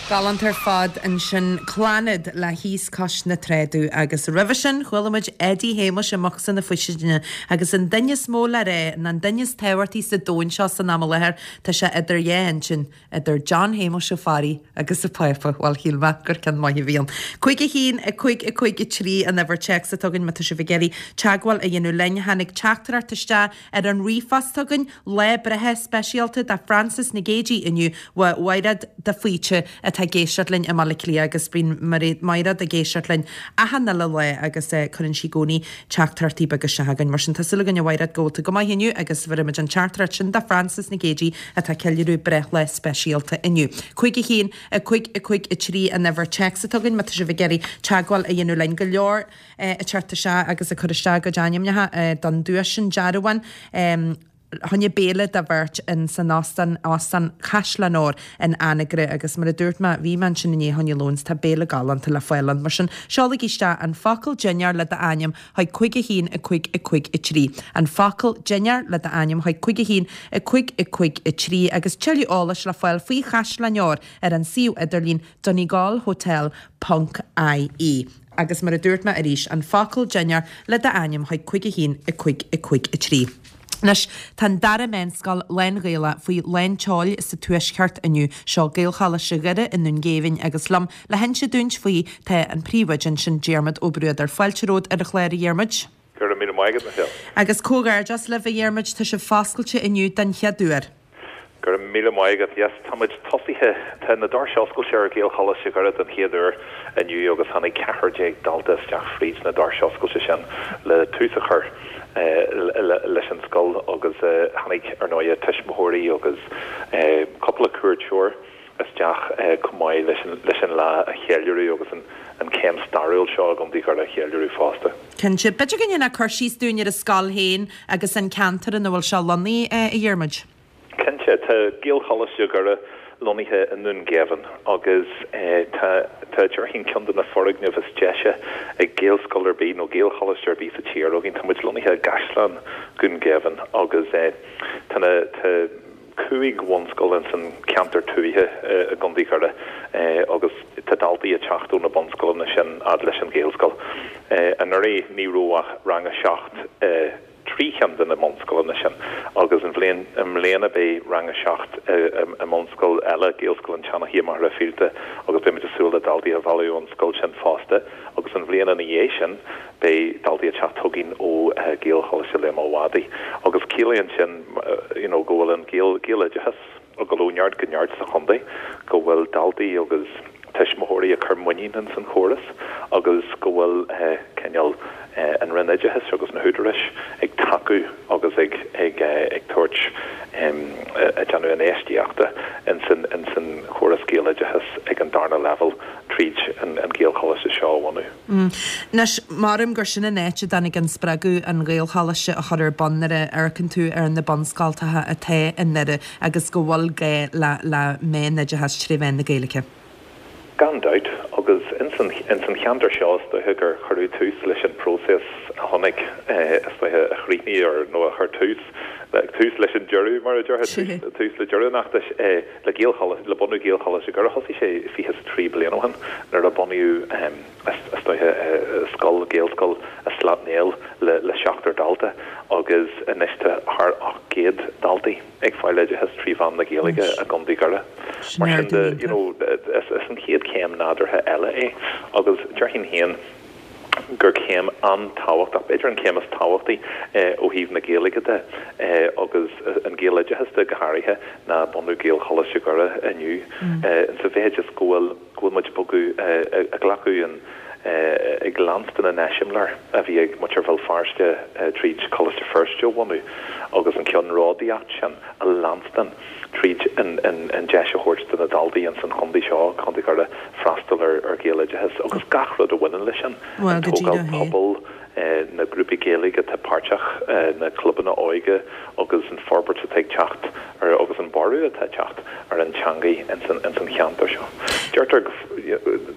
Galánta ar fad ansin Clannad le Thíos Cois na Trá Dubh agus roimhe sin chuala muid Eddie Shéamuis i mbocsa na faoistine agus an duine is mó le rá ná an duine is tábhachtaí sa domhan seo san am i láthair tá sé idir dhá intinn idir John Shéamuis Ó Fearraigh agus an Pápa bhuel shíl mé gur ceann maith a bhí ann. Cúig a haon a cúig a cúig a trí an uimhir téacs atá againn má tá sibh ag iarraidh teagmháil a dhéanamh linn tháinig teachtaireacht isteach ar an ríomhphost againn lá breithe speisialta do Frances Nic Géadaigh inniu ó Mhairéad de Faoite atá ag éisteacht linn i mBaile Átha Cliath agus bíonn Mairéad ag éisteacht linn achan uile lá agus eh, cuireann sí i gcónaí teachtaireachtaí beaga isteach chugainn. Mar sin tá súil againn a Mhairéad go bhfuil tú go maith inniu agus bheirimid an teachtaireacht sin do Frances Nic Géadaigh atá ceiliúradh breithlá speisialta inniu. Cúig a haon a cúig a cúig a trí an uimhir téacs atá againn má tá sibh ag iarraidh teagmháil a dhéanamh linn go leor eh, ag teacht isteach agus ag cur isteach a gcuid ainmneacha eh, don duais sin dearbháin. Um, Choinne béile do bheirt in san Óstán Óstán Chaisleán Óir in Anagaire agus mar a dúirt mé bhí mé ansin inné choinne lóin tá béile galánta le fáil ann mar sin seolaigí isteach an focal dinnéar le d'ainm chuig cúig a haon a cúig a cúig a trí. An focal dinnéar le d'ainm chuig cúig a haon a cúig a cúig a trí agus tuilleadh eolais le fáil faoi Chaisleán Óir ar an suíomh idirlín donegalhotel ponc IE. Agus mar a dúirt mé arís an focal dinnéar le d'ainm chuig cúig a haon a cúig a cúig a trí. Anois tá an dara meánscoil lán-Ghaelach faoi lán tseoil sa tuaisceart inniu seo Gaelcholáiste Dhoire i nDún Géibhinn agus liom le hinse dúinn faoi tá an príomhoide ansin Diarmuid Ó Bruadair fáilte romhat ar an chlár a Dhiarmuid. Go raibh míle maith agat Michelle. Agus comhghairdeas libh a Dhiarmuid tá sibh foscailte inniu den chéad uair. Go raibh míle maith agat yes táimid tosaithe tá na doirse oscailte ar Ghaelcholáiste Dhoire den chéad uair inniu agus tháinig ceathrar déag dalta isteach fríd na doirse oscailte sin le tús a chur leis an scoil agus tháinig ar ndóigh tuismitheoirí agus cúpla cuairteoir isteach chomh maith leis an leis an lá a cheiliúradh agus an an céim stairiúil seo i gContae Dhoire a cheiliúradh fosta. Cinnte, b'fhéidir go ndéanfá cur síos dúinn ar an scoil féin agus an ceantar ina bhfuil sé lonnaithe a Dhiarmuid. Cinnte tá Gaelcholáiste Dhoire lonnaithe i nDún Géibhinn agus tá tá déarfainn ceann de na foirgnimh is deise ag Gaelscoil ar bith nó Gaelcholáiste ar bith sa tír againn tá muid lonnaithe i gCaisleán Dhún Géibhinn agus tá na tá cúig bhunscoil in san ceantar tuaithe i gContae Dhoire agus tá daltaí ag teacht ó na bunscoileanna sin fhad leis an Ghaelscoil. Anuraidh ní raibh ach rang a seacht trí cheann de na bunscoileanna sin agus an bhliain i mbliana beidh rang a seacht i mbunscoil eile Gaelscoil an tSeanchaí Machaire Fíolta agus beimid ag súil le daltaí a mhealladh ón scoil sin fosta agus an bhliain ina dhiaidh sin beidh daltaí ag teacht chugainn ó Ghaelcholáiste Liam Ó Mhadaidh agus ciallaíonn sin you know, go bhfuil an Gael Gaeloideachas ag dul ó neart go neart sa chontae go bhfuil daltaí agus tuismitheoirí ag cur muinín in san chóras agus go bhfuil cineál an Roinn Oideachais agus na húdaráis ag tacú agus ag ag ag tabhairt ag déanamh infheistíochta in san in san chóras Gaeloideachas ag an darna level tríd an an Gaelcholáiste seo a bhunú. Anois maram gur sin an áit a dtáinig an spreagadh an Ghaelcholáiste a chur ar bun nuair a amharcann tú ar na bunscoltacha atá i nDoire agus go bhfuil gá le le meánoideachas trí mheán na Gaeilge. Gan dabht agus in san in san cheantar seo is dóiche gur cuireadh tús leis an próiseas a chonaic is dóiche a chríochnaigh ar nó a chuir tús tús leis an deireadh mar a déarfá tús le deireadh an fheachtais le Gaelcholáiste le bunú Gaelcholáiste Dhoire thosaigh sé fiche is trí bliain ó shin nuair a bunaíodh is dóiche scoil Gaelscoil i Slat Néill le le seachtar dalta agus anois tá thar ocht gcéad daltaí ag fáil oideachas trí mheán na Gaeilge i gContae Dhoire. Mar sin de you know is is an chéad chéim nádúrtha eile é agus déarfainn féin gur céim an-tábhachtach b'fhéidir an céim is tábhachtaí ó thaobh na Gaeilge de agus an Gaeloideachas de go háirithe ná bunú Gaelcholáiste Dhoire inniu sa mhéid is go bhfuil go bhfuil muid bogadh ag glacadh an ag leanstan an eiseamláir a bhí ag muintir Bhéal Feirste tríd Coláiste Feirste a bhunú agus an ceannródaíocht sin a leanstan tríd an an an deis a thabhairt do na daltaí in san chontae seo Contae Dhoire freastal ar ar Ghaeloideachas agus gach rud a bhaineann leis sin Well an go tógáil díreach é. pobail na grúpaí Gaeilge atá páirteach, na clubanna óige agus an forbairt atá ag teacht ar agus an borradh atá ag teacht ar an teangaidh ins an ins an cheantar seo. Deirtear go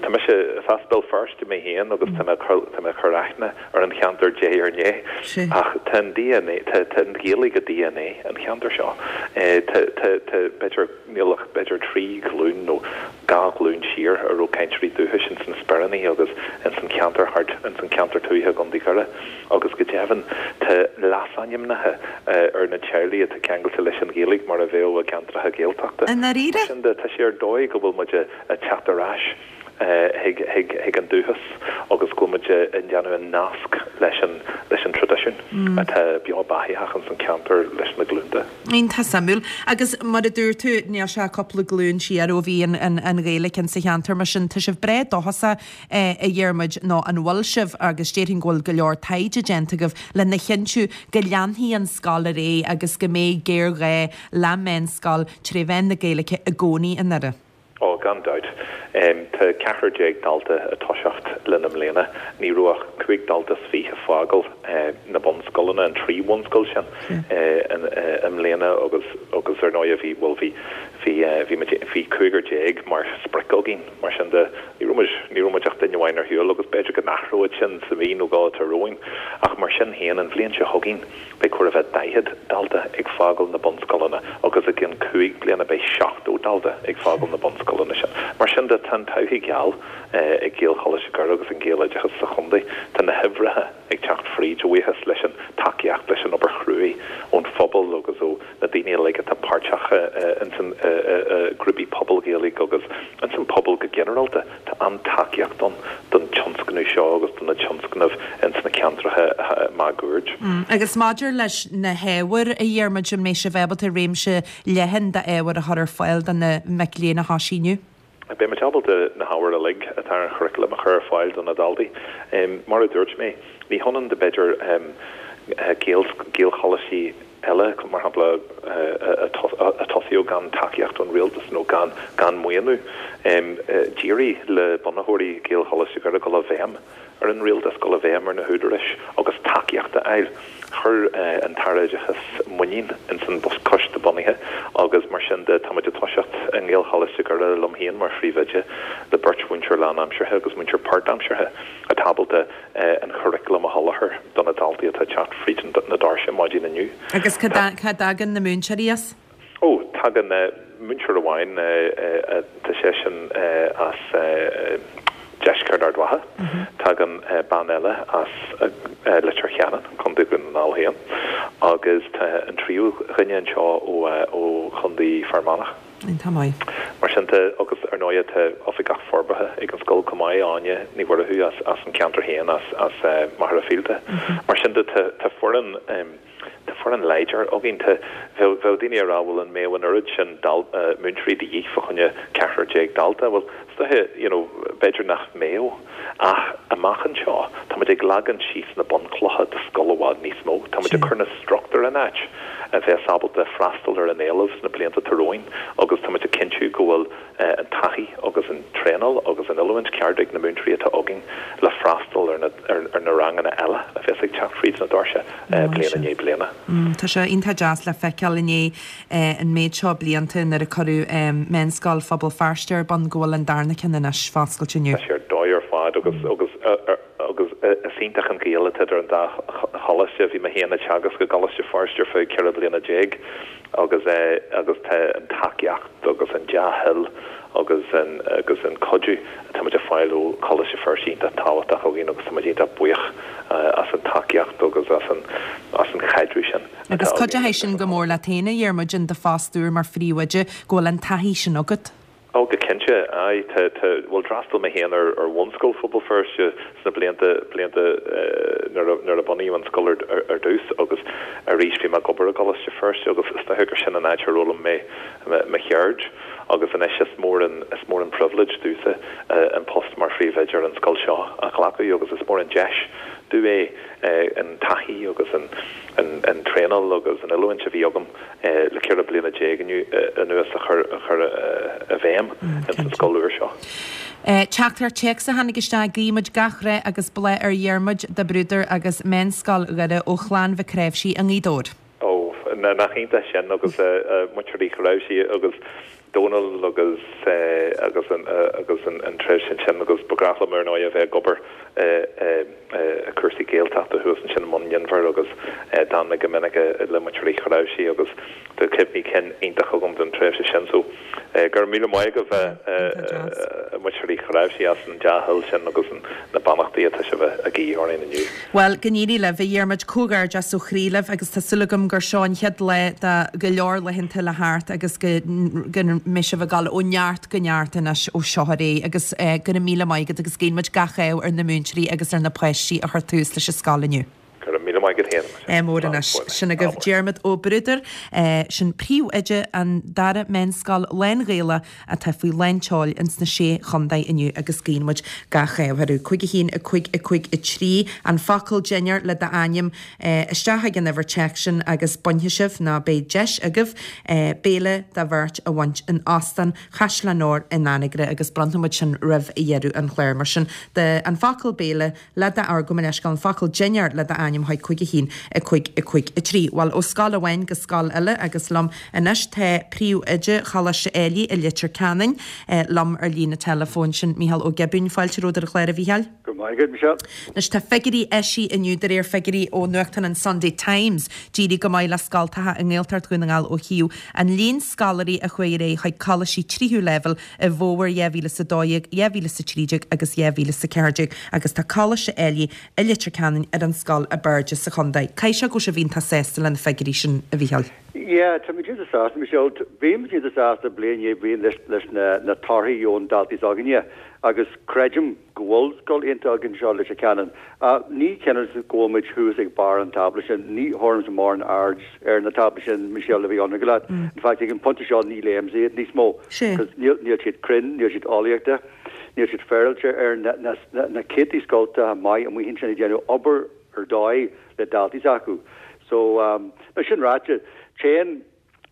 tá mise is as Béal Feirste mé féin agus tá mé tá mé ag cur aithne ar an cheantar diaidh ar ndiaidh ach tá an DNA tá tá an Ghaeilge i DNA an cheantair seo. Tá tá tá b'fhéidir níl ach b'fhéidir trí ghlúin nó dhá ghlúin siar a raibh cainteoirí dúchais ins na Speiríní agus ins an cheantar thart ins an cheantar tuaithe i gContae Dhoire agus go deimhin tá leasainmneacha ar na teaghlaigh atá ceangailte leis an Ghaeilge mar a bheadh i gceantracha Gaeltachta. I ndáiríre? Mar sin de tá sé ar dóigh go bhfuil muid ag teacht ar ais chuig an dúchas agus go bhfuil muid ag déanamh an nasc leis an leis an traidisiún atá beo beathaitheach ins an ceantar leis na glúnta. Iontach suimiúil. Agus mar a dúirt tú, níl sé ach cúpla glúin siar ó bhí an an Ghaeilge insa cheantar mar sin tá sibh breá dóchasach a Dhiarmuid nó an bhfuil sibh agus déarfainn go bhfuil go leor taighde déanta agaibh lena chinntiú go leanfaidh an scoil ar aghaidh agus go mbeidh géarghá le meánscoil tré mheán na Gaeilge i gcónaí i nDoire. Ó, gan dabht. Tá ceathrar déag dalta ag toiseacht linn i mbliana. Ní raibh ach cúig dalta is fiche ag fágáil na bunscoileanna, an trí bhunscoil sin, i mbliana agus agus ar ndóigh bhí, bhuel bhí, bhí, bhí muid, bhí cúigear déag mar sprioc againn. Mar sin de, ní raibh muid, ní raibh muid ach duine amháin ar shiúl agus b'fhéidir go n-athróidh sin sa mhí nó dhó atá romhainn. Ach mar sin féin, an bhliain seo chugainn, Beidh chóir a bheith daichead dalta ag fágáil na bunscoileanna agus i gcionn cúig bliana beidh seachtó dalta ag fágáil na bunscoileanna sin. Mar sin de, tá an todhchaí geal ag Gaelcholáiste Dhoire agus an Gaeloideachas sa chontae. Tá na huimhreacha ag teacht fríd, a bhuíochas leis an tacaíocht, leis an obair chruaidh ón phobal agus ó na daoine uilig atá páirteach ins an grúpaí pobail Ghaeilge agus ins an pobal go ginearálta. Tá an-tacaíocht ann don tionscnamh seo agus do na tionscnaimh ins na ceantracha máguaird. Agus maidir leis na hábhair, a Dhiarmuid, an mbeidh sibh ábalta réimse leathan d'ábhair a chur ar fáil do na mic léinn a thosaigh inniu? Beidh muid ábalta na hábhair uilig atá ar an churaclam a chur ar fáil do na daltaí. Mar a dúirt mé, ní hionann de b'fhéidir Gaelcholáistí eile, mar shampla, a tosaíodh gan tacaíocht ón rialtas nó gan gan maoiniú. D'éirigh le bunaitheoirí Ghaelcholáiste Dhoire dul i bhfeidhm ar an rialtas, dul i bhfeidhm ar na húdaráis agus tacaíocht a fháil. Chuir an tAire Oideachais muinín ins an choiste bunaithe agus mar sin de táimid ag toiseacht i nGaelcholáiste Dhoire liom féin mar phríomhoide le beirt mhúinteoir lánaimseartha agus múinteoir páirtaimseartha atá ábalta an churaclam a sholáthar do na daltaí atá ag teacht fríd na doirse maidin inniu. Agus cá dtagann na múinteoirí as? Ó, tagann múinteoir amháin, tá seisean as deisceart Ard Mhacha. Tagann bean eile as Leitir Ceanainn, Contae Dhún na nGall féin, agus tá an tríú dhuine anseo ó Chontae Fear Manach. Iontach maith. Mar sin de, agus ar ndóigh tá Oifigeach Forbartha ag an scoil chomh maith, Áine Ní Mhuireadhaigh as as an ceantar féin, as as Machaire Fíolta. Mar sin de, tá tá foireann tá foireann láidir againn. Tá bheadh bheadh daoine ag rá bhuel an mbeadh an oiread sin dal múinteoirí de dhíth fá choinne ceathrar déag dalta. Bhuel, is dóiche, you know, b'fhéidir nach mbeadh. Ach amach anseo, tá muid ag leagan síos na bunchlocha do scoil i bhfad níos mó. Tá muid ag cur na struchtúir in áit a bheas ábalta freastal ar an éileamh sna blianta atá romhainn agus tá muid ag cinntiú go bhfuil an taithí agus an traenáil agus an oiliúint ceart ag na múinteoirí atá againn le freastal ar na ar na ranganna eile a bheas ag teacht fríd na doirse bliain i ndiaidh bliana. Tá sé iontach deas le feiceáil i ndiaidh an méid seo blianta nuair a cuireadh Meánscoil Phobal Feirste ar bun go bhfuil an darna ceann anois foscailte inniu. Tá sé ar dóigh ar fad agus agus agus is iontach an gaol atá idir an dá choláiste. Bhí mé féin ag teagasc i gColáiste Feirste ar feadh ceithre bliana déag agus agus tá an tacaíocht agus an dea-thoil agus an agus an cuidiú atá muid ag fáil ó Choláiste Feirste iontach tábhachtach againn agus tá muid iontach buíoch as an tacaíocht agus as an as an chaidreamh sin atá Agus againn cuideoidh sin go mór leat féin, a Dhiarmuid, in do phost úr mar phríomhoide, go bhfuil an taithí sin agat. Ó, go cinnte, aye. Tá, tá, bhuel, d'fhreastail mé féin ar, ar bhunscoil Phobal Feirste sna blianta, blianta nuair a, nuair a bunaíodh an scoil ar, ar, ar dtús agus arís bhí mé ag obair i gColáiste Feirste agus is dócha gur sin an áit ar fhoghlaim mé mo cheird agus anois is mór an, is mór an pribhléid domhsa an post mar phríomhoide ar an scoil seo a ghlacadh agus is mór an deis B'fhiú é an taithí agus an an traenáil agus an oiliúint a bhí agam le ceithre bliana déag anuas a chur a chur i bhfeidhm ins an scoil úr seo. Teachtaireacht téacs a tháinig isteach guímid gach rath agus bláth ar Dhiarmuid de Bruadar agus Meánscoil Dhoire ó chlann Mhic Réibhsí i nGaoth Dobhair. Ó, nach iontach sin agus muintir Uí Chnáimhsí agus Dónal agus agus an agus an an treibh sin sin agus ba ghnách liom ar ndóigh a bheith ag obair i cúrsaí Gaeltachta thuas ansin i mBun Inbhir agus d'fhan mé go minic le muintir Uí Chnáimhsí agus tá cuimhní cinn iontach agam den tréimhse sin so go raibh míle maith agaibh a muintir Uí Chnáimhsí as an dea-thoil sin agus na beannachtaí atá sibh a guí orainn inniu. Bhuel, go n-éirí libh, a Dhiarmuid, comhghairdeas ó chroí libh agus tá súil agam gur seo an chéad lá de go leor laethanta le theacht agus go go mbeidh sibh ag dul ó neart go neart anois ó seo ar aghaidh agus go raibh míle maith agat agus guíonn muid gach ádh ar na múinteoirí agus ar na páistí a chuir tús leis an scoil inniu. Go raibh míle maith agat féin. Ádh mór anois. Sin agaibh Diarmuid Ó Bruadair, sin príomhoide an dara meánscoil lán-Ghaelach atá faoi lán tseoil ins na Sé Chontae inniu agus guíonn muid gach ádh orthu. Cúig a haon, a cúig, a cúig, a trí, an focal dinnéar le d'ainm isteach ag an uimhir téacs sin agus bainfidh sibh, nó beidh deis agaibh, béile do bheirt a bhaint in Óstán Chaisleán Óir in Anagaire agus bronnfaidh muid sin roimh dheireadh an chláir. Mar sin de, an focal béile le do, gabh mo leithscéal, an focal dinnéar le d'ainm chuig cúig a haon, a cúig, a cúig, a trí. Bhuel, ó scoil amháin go scoil eile agus liom anois tá príomhoide Choláiste Éilí i Leitir Ceanainn liom ar líne teileafóin, sin Mícheál Ó Giobúin. Fáilte romhat ar an chlár, a Mhícheáil. Go raibh maith agat, Michelle. Anois tá figiúirí eisithe inniu de réir figiúirí ó nuachtán an Sunday Times. D'éirigh go maith le scoltacha i nGaeltacht Dhún na nGall ó thaobh an líon scoláirí a chuaigh ar aghaidh chuig coláistí tríú leibhéal i bhfómhar dhá mhíle is a dó dhéag, dhá mhíle is a trí déag agus dhá mhíle is a ceathair déag agus tá Coláiste Éilí i Leitir Ceanainn ar an scoil ab airde sa chontae. Caithfidh sé go bhfuil sibh iontach sásta le na figiúirí sin, a Mhícheáil. Yeah, tá muid iontach sásta, Michelle. Bhí muid iontach sásta bliain i ndiaidh bliain leis leis na na torthaí ón daltaí s'againne agus creidim go bhfuil scoil iontach againn anseo i Leitir Ceanainn. Ní cinneadh go bhfuil muid thuas ag barr an tábla sin, ní thabharfaimse mórán aird ar na táblaí sin, Michelle, le bheith ionraic leat. In fact, ag an pointe seo ní léimse iad níos mó because níl níl siad cruinn, níl siad eolaíochta, níl siad féaráilte ar na na na céadtaí scoltacha maith amuigh ansin ag déanamh obair ar dóigh le daltaí s'acu. So, um, mar sin ráite, téann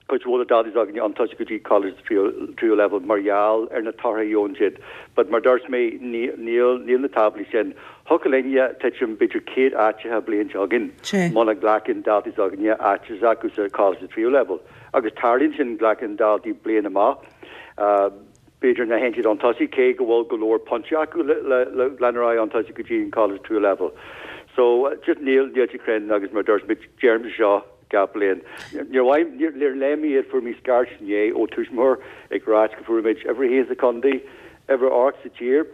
cuid mhór de daltaí s'againne chun tosaigh go dtí coláiste tríú tríú leibhéal mar gheall ar na torthaí a gheobhann siad. But mar dúirt mé, ní níl níl na táblaí sin. Thiocfadh linne titim b'fhéidir céad áiteacha bliain seo chugainn muna nglacann daltaí s'againne áit s'acu sa choláiste tríú leibhéal. Agus tarlaíonn sin, glacann daltaí bliain amach. B'fhéidir nach dtéann siad chun tosaigh, cé go bhfuil go leor pointí acu le le le lean ar aghaidh chun tosaigh go dtí an coláiste tríú leibhéal. So, just níl níl siad cruinn agus mar dúirt mé, deirimse seo gach bliain. Níor mhaith, níor níor léigh mé iad, fuair mé scairt inné ó tuismitheoir ag ráit go fuair muid uimhir a haon sa chontae, uimhir a ocht sa tír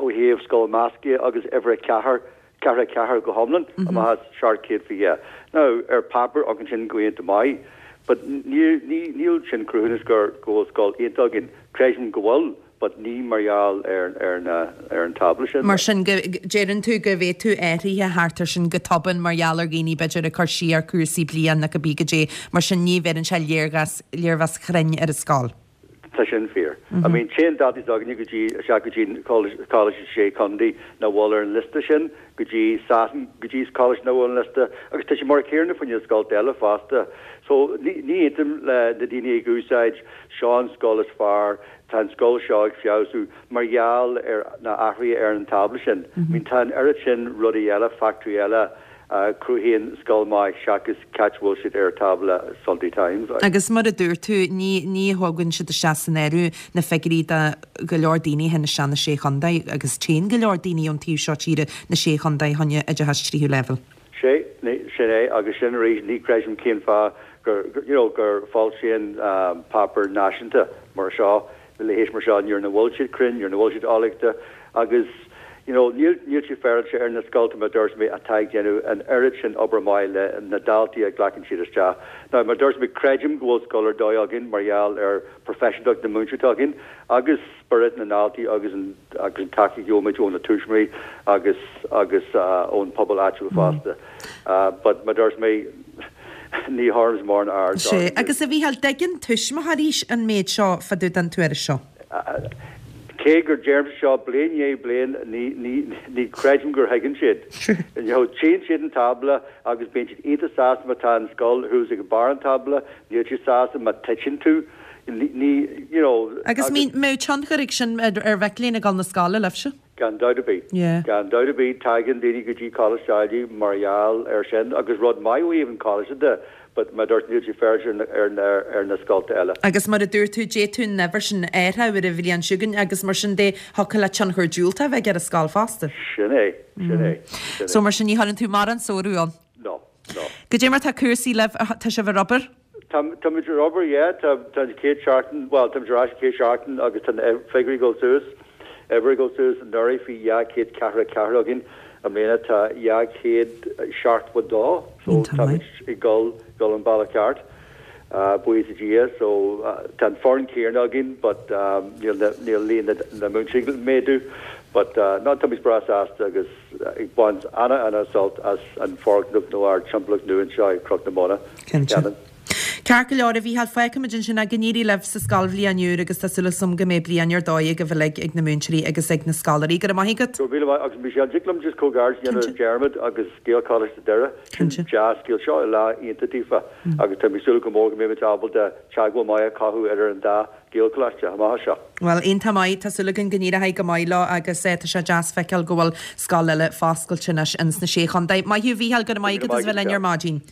ó thaobh scoil measctha agus uimhir a ceathair, ceathracha a ceathair go hiomlán amach as seacht chéad fiche. Now, ar páipéar amharcann sin go iontach maith, but ní, ní, níl sin cruthúnas gur, go bhfuil scoil iontach againn. Creidim go bhfuil, but ní mar gheall ar, ar na, ar an tábla sin. Mar sin, go, deireann tú go bhféadfadh athruithe theacht air sin go tobann mar gheall ar dhaoine b'fhéidir ag cur siar cúrsaí bliain nó cibé goidé, mar sin ní bheireann sé léargas, léirmheas chruinn ar an scoil. Tá sin fíor. I mean, téann daltaí s'againne go dtí, isteach go dtí coláiste sé chontae nach bhfuil ar an liosta sin, go dtí Sasain, go dtí coláiste nach bhfuil ar an liosta, agus tá sé mar a chéanna fá choinne scolta eile fosta. So, ní, ní aontaím le na daoine ag úsáid seo an scoil is fearr, tá an scoil seo ag feabhsú mar gheall ar na athruithe ar an tábla sin. I mean, tá an oiread sin rudaí eile, factoirí eile, a chruthaíonn scoil maith seachas cá háit a bhfuil siad ar tábla Sunday Times. Agus mar a dúirt tú, ní ní thugann siad isteach san áireamh na figiúirí de go leor daoine a théann isteach na Sé Chontae agus téann go leor daoine ón taobh seo tíre na Sé Chontae chun oideachas tríú leibhéal. Sé, sin é, agus sin arís, ní chreidim cén fáth gur, you know, gur foilsíonn páipéar náisiúnta mar seo a leithéid mar seo nuair nach bhfuil siad cruinn, nuair nach bhfuil siad eolaíochta agus you know níl níl siad féaráilte ar na scolta mar dúirt mé atá ag déanamh an oiread sin obair maith le na daltaí a ghlacann siad isteach. Now mar dúirt mé creidim go bhfuil scoil ar dóigh againn mar gheall ar professionaltacht na múinteoirí atá againn agus spiorad na ndaltaí agus an agus an tacaíocht a gheobhaimid ó na tuismitheoirí agus agus ón pobal áitiúil fosta. But mar dúirt mé ní thabharfaimse mórán aird Sea, agus a Mhícheáil, dtuigeann tuismitheoirí an méid seo fá dtaobh den tuairisc seo? Cé gur deirimse seo bliain i ndiaidh bliain, ní, ní, ní chreidim gur thuigeann siad. You know, tchíonn siad an tábla agus bíonn siad iontach sásta má tá an scoil thuas ag barr an tábla, níl siad sásta má titeann tú. Ní, ní, you know, Agus mbeadh tionchar ag sin ar ar mhic léinn ag dul na scoile libhse? Gan dabht ar bith. Yeah. Gan dabht ar bith, tagann daoine go dtí Coláiste Ailigh mar gheall air sin agus rud maith ó thaobh an choláiste de, but mar dúirt níl sé féaráilte ar na, ar na, ar na scolta eile. Agus mar a dúirt tú, d'fhéadfadh an uimhir sin athrú ar an bhliain seo chugainn agus mar sin de thiocfadh le tionchar diúltach a bheith ar an scoil fosta. Sin é, sin é, sin So é. mar sin ní chuireann tú mórán sórú ann. No, no. Goidé mar tá cúrsaí libh, tá sibh ar obair? Tá tá muid ar obair, yeah, tá tá an chéad seachtain, bhuel, tá muid ar ais an chéad seachtain agus tá na figiúirí ag dul suas, uimhir ag dul suas, anuraidh bhí dhá chéad ceathracha a ceathair againn, i mbliana tá dhá chéad seachtó a dó, so Iontach tá maith. muid ag dul dul an bealach ceart, uh, buíochas le Dia, so uh, tá an foireann céanna againn, but um, níl na níl líon na, na múinteoirí ag méadú, but uh, no, tá muid breá sásta agus uh, ag baint ana ana sult as an foirgneamh nó ár timpeallacht nua anseo i Cnoc na Móna. Cinnte. Ceanann. Ceart go leor a Mhícheáil fágfaimid ansin go n-éirí libh sa scoilbhliain úr agus tá súil agam go mbeidh bliain ar dóigh agaibh uilig ag na múinteoirí agus ag na scoláirí. Go raibh maith agat. Go míle maith agus Michelle dtig liom just comhghairdeas a dhéanamh Cinnte. Dermot agus Gaelcholáiste Doire. Cinnte. Dea-scéal seo i lá iontach daofa agus tá mé súil go mór go mbeidh muid ábalta teagmháil maith a chothú idir an dá Gaelcholáiste amach seo. Well iontach maith tá súil againn go n-éireoidh go maith leo agus eh, tá sé deas feiceáil go bhfuil scoil eile foscailte anois ins na sé chontae. Maith thú Mhícheáil go raibh maith agat as bheith linn ar maidin.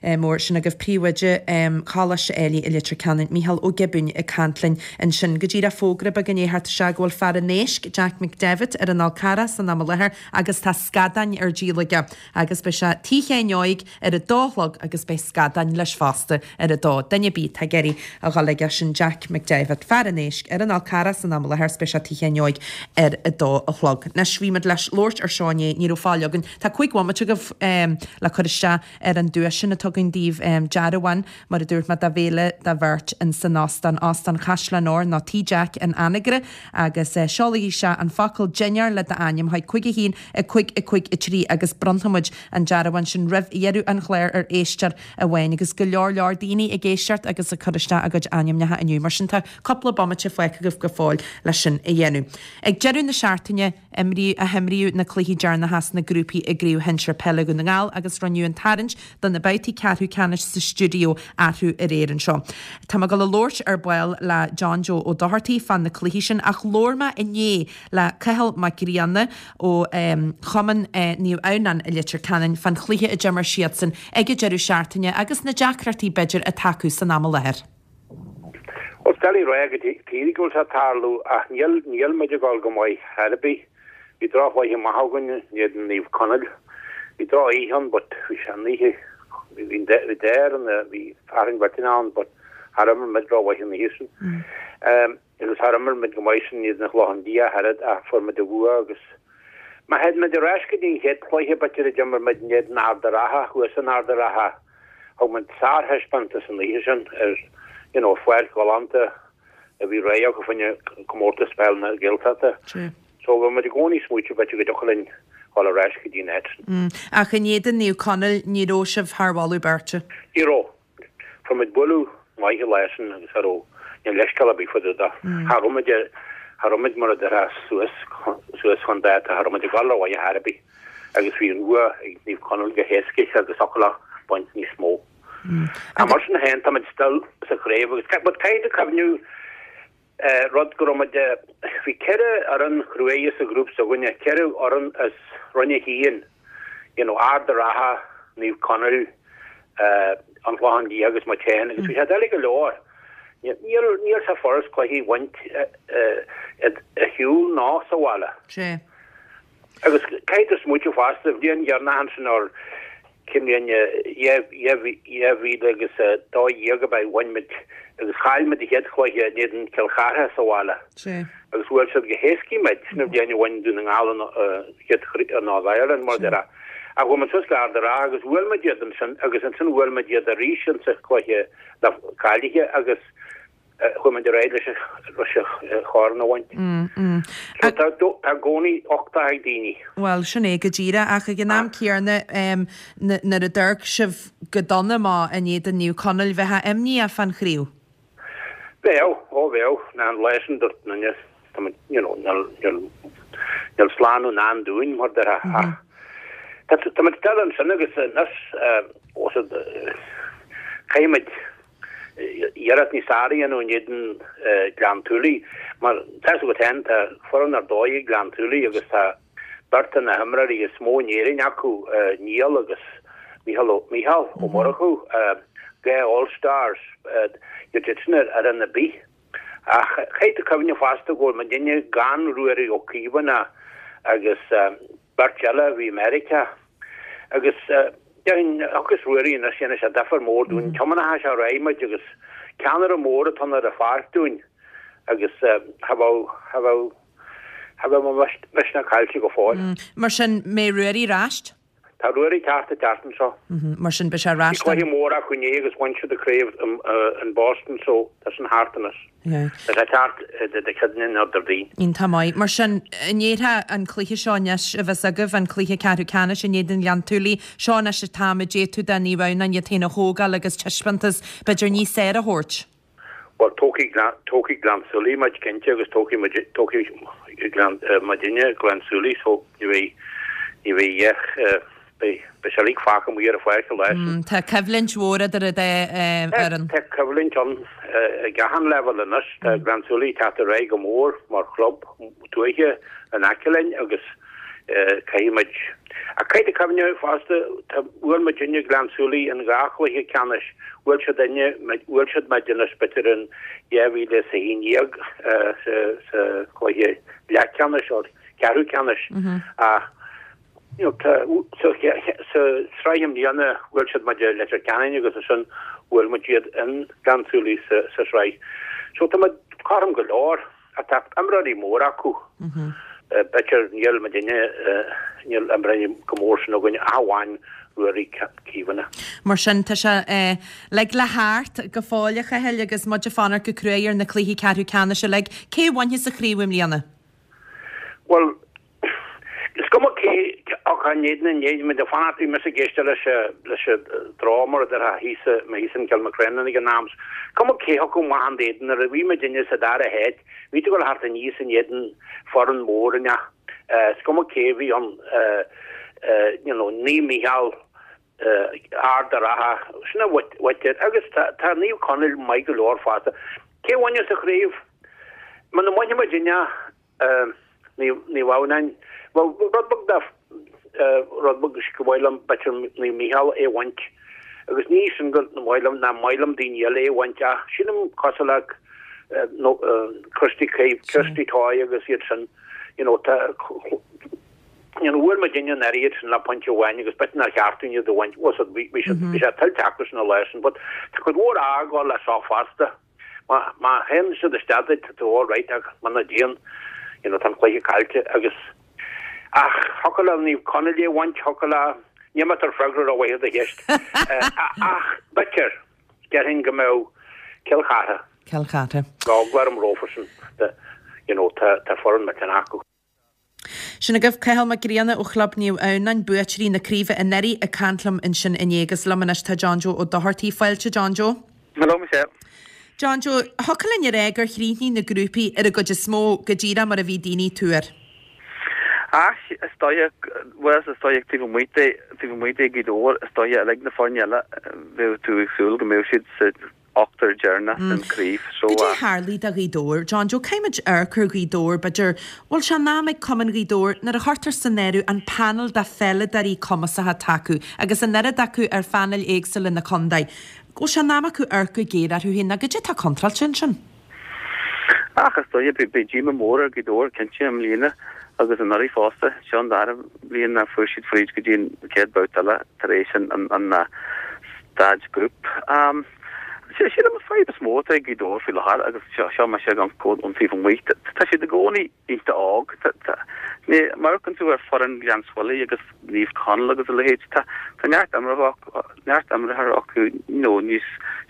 Eh, mór sin agaibh príomhoide um, Choláiste Ailigh i Leitir Ceanainn Mícheál Ó Giobúin ag caint linn ansin go díreach fógra beag inné thart sé go bhfuil fear an éisc Jack McDevitt ar an Fhál Carrach san am i láthair agus tá scadáin ar díol aige agus beidh sé tigh Sheáin Óig ar a dó a chlog agus beidh scadáin leis fosta ar a dó. Duine ar bith atá ag iarraidh a dhul aige sin Jack McDevitt fear an éisc ar an Fhál Carrach san am i láthair beidh sé tigh Sheáin Óig ar a dó a chlog. Anois bhí muid leis labhairt ar seo inné ní raibh fáil againn. Tá cúig bhomaite agaibh um, le cur isteach ar an duais sin atá againn daoibh um, dearbhán mar a dúirt mé do bhéile do bheirt in san óstán Óstán Chaisleán Óir nó Tí Jack in Anagaire agus uh, seolaigí isteach an focal dinnéar le d'ainm chuig cúig a haon a cúig a cúig a trí agus bronnfaimid an dearbhán sin roimh dheireadh an chláir ar éisteoir amháin agus go leor leor daoine ag éisteacht agus ag cur isteach a gcuid ainmneacha inniu mar sin tá cúpla bomaite fágtha agaibh go fóill leis sin a dhéanamh. Ag deireadh na seachtaine imrí a himríodh na cluichí deireanacha sna grúpaí i gCraobh Shinsir Peile Dhún na nGall agus rinneadh an tarraingt do na babhtaí ceathrú ceannais sa stiúideo arú aréir anseo. Tá mé ag dul a labhairt ar ball le John Joe Ó Dochartaigh fá na cluichí sin ach labhair mé inné le Cathal Mac Grianna ó um, Chumann uh, Naomh Adhamhnáin i Leitir Ceanainn fán chluiche a d'imir siadsan ag an deireadh seachtaine agus na deacrachtaí b'fhéidir atá acu san am i láthair. Ó deli rá go tíí go bhfuil sé tarlú ach níl níl muid ag dul go maith ar bith. Bhí drochbhaithe maith againn in éadan Naomh Conaill. Bhí drochoíche ann, but bhí sé an oíche bhí déir an bhí fearann betin ann, but thar muid drochbhaithe an oíche sin. Um, agus thar muid go maith sin iad na chlochan dia harad a fuair muid a bhua agus Ma het met de reis die het cluiche b'fhéidir a d'imir muid in éadan Ard an Rátha thuas in Ard an Rátha thug muid sárthaispeántas an oíche sin ar you know pháirc ghalánta a bhí réidh go faoin comórtas peil na Gaeltachta. So bhí muid i gcónaí smaointe b'fhéidir go dtiocfadh linn dul ar ais go dtí net. Mm. Ach in éadan Naomh Conaill ní raibh sibh thar mholadh beirte. Ní raibh. Fuair muid bualadh maith leisan agus ar ní leisceala bí fu da. Cha raibh muid cha raibh muid mar a deir suas suas chun dáta cha raibh muid ag dul ar mhaith ar bith agus bhí an bua ag Naomh Conaill go héasca agus ocla baint níos mó. A mar sin féin tá muid still sa chraobh agus but caithfidh cuimhneamh rud go raibh muid bhí ceithre fhoireann cruaidh sa ghrúpa s'againne ceithre fhoireann as Roinn a haon you know Ard an Rátha Naomh Conaill uh, an Clochán Liath agus muid féin agus bhí sé doiligh go leor. Níl níl sé furast cluichí a bhaint ar shiúl ná sa bhaile. Sé. Agus caithfidh smaointiú fosta bhliain dheireanach ansin ar cimlíon dhá agus dá dhéag go bhain muid agus chaill muid an chéad chluiche in éadan Cill Chartha sa bhaile. Sé. Agus bhuail siad go héasca muid na bliana a bhain Dún na nGall chéad ná Ireland mar deir. A bhfuil muid suas le Ard an Rátha agus bhuail muid iad ansin agus ansin bhuail muid iad arís an sa chluiche le cáilithe agus chuaigh muid ar aghaidh leis leis an chorn a bhaint. Mm, mm. So tá tá i gcónaí uchtach ag daoine. Well sin é go díreach ach ag an am céanna um, nuair a d'amharc sibh go dona amach in éadan Naomh Conaill bheifeá imníoch fán chraobh. Bheadh ó bheadh na an leisan dúirt na tá muid, you know, níl, níl, níl slánú i ndán dúinn mar a déarfá ach tá, tá muid dul ansin agus anois, os a, caithfidh muid iarracht níos fearr a dhéanamh in éadan Gleann tSúilí mar tá a fhios agat féin, tá foireann ar dóigh ag Gleann tSúilí agus tá beirt de na himreoirí is mó in Éirinn acu, Niall agus Mícheál Ó Mícheál Ó Murchú, dhá All Stars, iad sin ar fhoireann ar bith. Ach caithfidh tú cuimhneamh fosta go bhfuil muidinne gan Ruairí Ó Caomhánach agus beirt eile a bhí i Meiriceá. Agus déarfainn, thiocfas Ruairí anois, dhéanfaidh sé difear mór dúinn. Tiomáinfidh sé ar aghaidh muid agus ceannaire mór atá ann ar an pháirc dúinn agus cha bheadh, cha bheadh, cha bheadh mo mhisneach caillte go fóill. Mar sin, mbeidh Ruairí ar ais? Tá Ruairí ceart an tseachtain seo. Mar sin beidh sé ar ais Bhí cluiche mór acu inné agus bhain siad an craobh in Boston so tá sin thart anois. Tá sé ceart Dé Céadaoin nó Déardaoin. Iontach maith. Mar sin, an ndéarfá an cluiche seo anois a bheas agaibh, an cluiche ceathrú ceannais in éadan Ghleann tSúilí, seo anois an t-am a d'fhéadfadh do Naomh Adhamhnáin iad féin a thógáil agus taispeántas b'fhéidir níos fearr a thabhairt? Bhuel, tógfaidh Gleann, tógfaidh Gleann tSúilí muid cinnte agus tógfaidh muid, tógfaidh Gleann, muidinne Gleann tSúilí so ní bheidh, ní bheidh ach, beidh, beidh sé uilig fágtha amuigh ar an pháirc an lá sin. Tá coimhlint mhór idir an dá fhoireann. Tá coimhlint ann ag achan leibhéal anois. Tá Gleann tSúilí ag teacht ar aghaidh go mór mar chlub tuaithe in aice linn agus caithfidh muid, ach caithfidh tú cuimhneamh fosta, tá, bhuail muidinne Gleann tSúilí in dhá chluiche ceannais, bhuail siad inne, bhuail siad muid anois b'fhéidir in dhá mhíle is a haon déag sa, sa chluiche leathcheannais or ceathrú ceannais ach you know, tá, sa, sa sraith i mbliana bhuail siad muid i Leitir Ceanainn agus ansin bhuail muid iad in Gleann tSúilí sa, sa sraith. So tá muid cothrom go leor. Ach tá imreoirí móra acu. B'fhéidir níl muidinne, níl imreoirí chomh mór sin againn ach amháin Ruairí Caomhánach. Mar sin, tá sé uilig le theacht go fóill, a Chathail, agus muid ag fanacht go cruaidh ar na cluichí ceathrú ceannais uilig. Cé a bhainfeas an chraobh i mbliana? Bhuel, Is cuma cé ach an éadan an éid muid ag fanacht bhí mise ag éisteacht leis leis an dream mar a déarfá thíos mé thíos in Kilmacrennan ag an am. Is cuma cé thiocfadh amach in éadan nuair a bhí muidinne sa dara háit bhí tú ag dul thart aníos in éadan foireann mór an ea? Is cuma cé a bhí ann you know Naomh Mícheál Ard a' Rátha sin a bhfaightear agus tá tá Naomh Conaill maith go leor fosta. Cé a bhainfeas an chraobh? Muna mbainfidh muidinne Naomh Adhamhnáin. Bhuel, rud beag de, rud beag gur mhaith liom, b'fhéidir Naomh Mícheál é a bhaint. Agus ní sin gur mhaith liom, nach maith liom daoine eile é a bhaint ach sílim cosúil le Christy Christy Toy agus iad sin, you know, tá, you know, bhuail muidinne anuraidh iad sin le pointe amháin agus b'fhéidir nár cheart dúinn iad a bhaint, bhuel, bhí siad, bhí sé tuillte acu sin an lá sin, but tá cuid mhór ádh ag gabháil leis seo fosta. Má má théann siad isteach duit tá tú all right ach muna dtéann you know tá an cluiche caillte agus ach thiocfadh le Naomh Conaill é a bhaint thiocfadh le níl mé ag tabhairt freagra rómhaith ar do cheist ach b'fhéidir déarfainn go mbeadh Cill Chartha Cill Chartha. Tá eagla orm rofa sin you know tá tá foireann millteanach acu. Sin agaibh Cathal Mac Grianna ó Chlub Naomh Adhamhnáin, buaiteoirí na craoibhe anuraidh, ag caint liom ansin inné agus liom anois tá John Joe Ó Dochartaigh. Fáilte, John Joe. Hello, Michelle. John Joe, thiocfadh linn a rá gur chríochnaigh na grúpaí ar an gcuid is mó go díreach mar a bhí daoine ag tuar. Ach is dóigh, bhuel is dóigh taobh amuigh de, taobh amuigh de Ghaoth Dobhair, is dóigh uilig na foirne eile, bheadh tú ag súil go mbeadh siad sa ochtar deireanach den chraobh. So, Goidé a tharlaigh do Ghaoth Dobhair? John Joe, caithfidh muid amharc ar Ghaoth Dobhair, b'fhéidir, bhfuil sé in am ag Cumann Ghaoth Dobhair nuair a chuirtear san áireamh an panel de pheileadóirí cumasacha atá acu agus an oiread acu ar phainéil éagsúla na contae, go bhfuil sé in am acu amharc go géar orthu féin, nó goidé atá contráilte ansin? Ach is dóigh, beidh díomá mór ar Ghaoth Dobhair cinnte i mbliana agus anuraidh fosta. Seo an dara bliain nár fuair siad fríd go dtí an chéad babhta eile tar éis an staid grúpa. Sílim an fadhb is mó atá ag Gaoth Dobhair faoi láthair agus seo mise ag amharc ón taobh amuigh, tá siad i gcónaí iontach óg. Má amharcann tú ar foireann Ghleann tSúilí agus Naomh Conaill agus a leithéid, tá neart neart imreoirí acu you know níos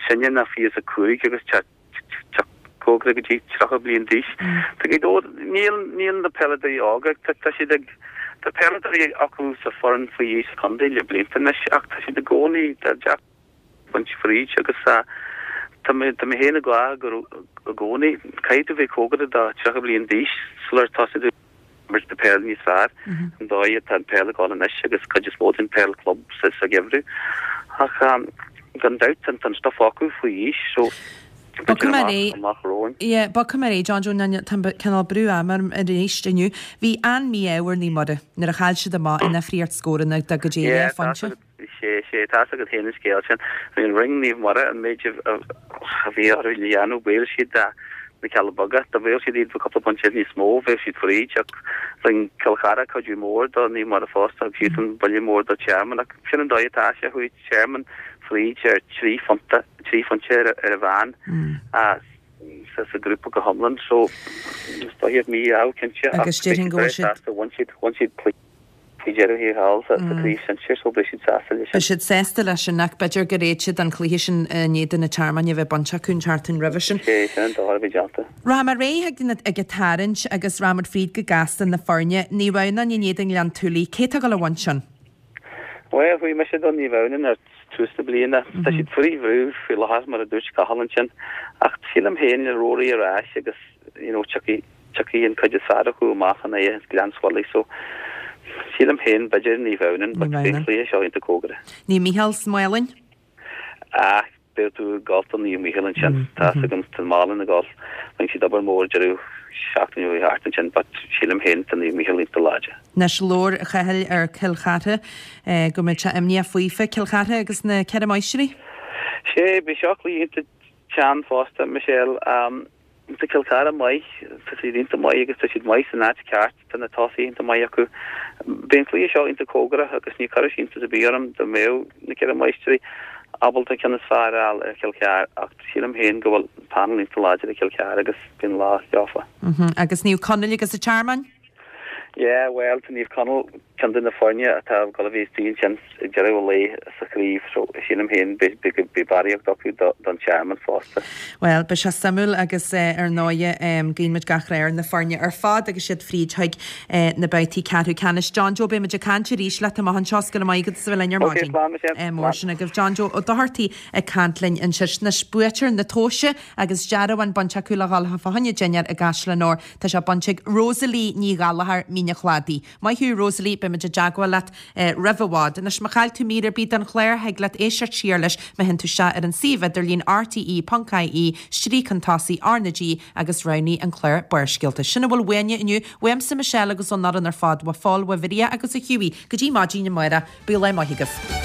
sine ná fiche is a cúig agus tá cóngarach go dtí tríocha bliain d'aois. Tá Gaoth Dobhair, níl níl na peileadóirí óga, tá siad ag tá peileadóirí acu sa foireann faoi aois contae le blianta anois ach tá siad i gcónaí tá deacair baint fríd agus tá Tá mé tá mé féin ag rá go i gcónaí caithfidh tú bheith cóngarach do tríocha bliain d'aois sular tosaigh tú imirt na peile níos fearr an dóigh atá an peil ag dul anois agus cuid is mó den peil club sa sa gheimhreadh. Ach gan dabht tá an stuif acu faoi aois so Bogfaidh mé ar aghaidh. amach romhainn. Yeah, bogfaidh mé ar aghaidh John Joe ná tá cineál brú ama orm arís inniu. Bhí an-mhí-ádh ar Naomh Muire nuair a chaill siad amach i ndifríocht scóranna de go dtí Yeah, dhá phointe. Sé, sé, tá's agat féin an scéal sin. Bhí an ring Naomh Muire an méid a bhí orthu le dhéanamh, bhuail siad na Cealla Beaga, dá bhuail siad iad cúpla pointe níos mó, bheadh siad fríd, ach rinne Cill Chartha cuidiú mór do Naomh Muire fosta, thug siadsan buille mór do Tearmann, ach sin an dóigh atá sé, chuaigh Tearmann fríd ar trí phonta, trí phointe ar ar an mheán sa sa ghrúpa go hiomlán, so is dóigh mí-ádh cinnte, ach Agus déarfainn go bhfuil siad. sásta, bhain siad, bhain siad cluiche. Faoi dheireadh thiar thall sa chraobh shinsir so beidh siad sásta leis sin. Beidh siad sásta leis sin ach b'fhéidir gur fhéad siad an cluiche sin i ndiaidh do na Tearmainn a bheith bainte acu an tseachtain roimhe sin. Sé sin an dóigh a bhí déanta. Rachaidh mé ar aghaidh ag ag an tarraingt agus rachaimid fríd go gasta na foirne. Naomh Adhamhnáin in éadan Ghleann tSúilí. Cé atá ag dul a bhaint sin? Bhuel, chuaigh mise do Naomh Adhamhnáin ar tús na bliana. Tá siad faoi bhrú faoi láthair mar a dúirt Cathal ansin ach sílim féin le Rory ar ais agus you know tiocfaidh tiocfaidh an cuid is fearr acu amach in aghaidh Ghleann tSúilí so sílim féin b'fhéidir Naomh Adhamhnáin but Naomh beidh an Adhamhnáin. cluiche seo iontach cóngarach. Naomh Mícheál sa Mhálainn? Ah, beidh tú ag gabháil do Naomh Mícheál ansin. Tá fhios agam tá an Málainn ag gabháil. Rinne siad obair mhór deireadh seachtaine ó thart ansin but sílim féin tá Naomh Mícheál iontach láidir. Anois labhair a Chathail ar Cill Chartha go mbeidh sé imníoch faofa Cill Chartha agus na Ceithre Máistrí. Sé, beidh seo cluiche iontach teann fosta, Michelle. Tá Cill Chartha maith, tá siad iontach maith agus tá siad maith san áit ceart, tá na tosaithe iontach maith acu. Beidh an cluiche seo iontach cóngarach agus ní chuirfeadh sé iontas ar bith orm dá mbeadh na Ceithre Máistrí ábalta an ceann is fearr a fháil ar Chill Chartha ach sílim féin go bhfuil panel iontach láidir ag Cill Chartha agus beidh an lá leofa. Agus Naomh Conaill agus an Tearmann? Yeah, bhuel, tá Naomh Conaill ceann de na foirne atá ag dul a bheith istigh ansin ag deireadh an lae sa chraobh so sílim féin beidh beidh barraíocht acu don Tearmann fosta. Bhuel, beidh sé suimiúil agus ar ndóighe guíonn muid gach rath ar na foirne ar fad agus iad fríd chuig na babhtaí ceathrú ceannais. John Joe, beidh muid ag caint arís leat amach anseo go raibh maith agat as a bheith linn ar Ok, maidin. slán, Michelle. Mór sin agaibh. John Joe Ó Dochartaigh ag caint linn ansin. Anois buaiteoir na tomhaise agus dearbhán bainte acu le dhul fá choinne dinnéar i gCaisleán Óir. Tá sé bainte ag Rosalie Ní Ghallchóir, Mín an Chladaigh. Maith thú Rosalie, beidh muid i dteagmháil leat roimh i bhfad. Anois má chaill tú mír ar bith den chlár, thig leat éisteacht siar leis má théann tú isteach ar an suíomh idirlín rte.ie stríoc chun tosaigh R na G agus roghnaigh an clár Barrscéalta. Sin a bhfuil uainne inniu, uaimse Michelle agus ón fhoireann ar fad, ó Phól, ó Mharia agus ó Hughie, go dtí maidin amárach, bíodh lá maith agaibh.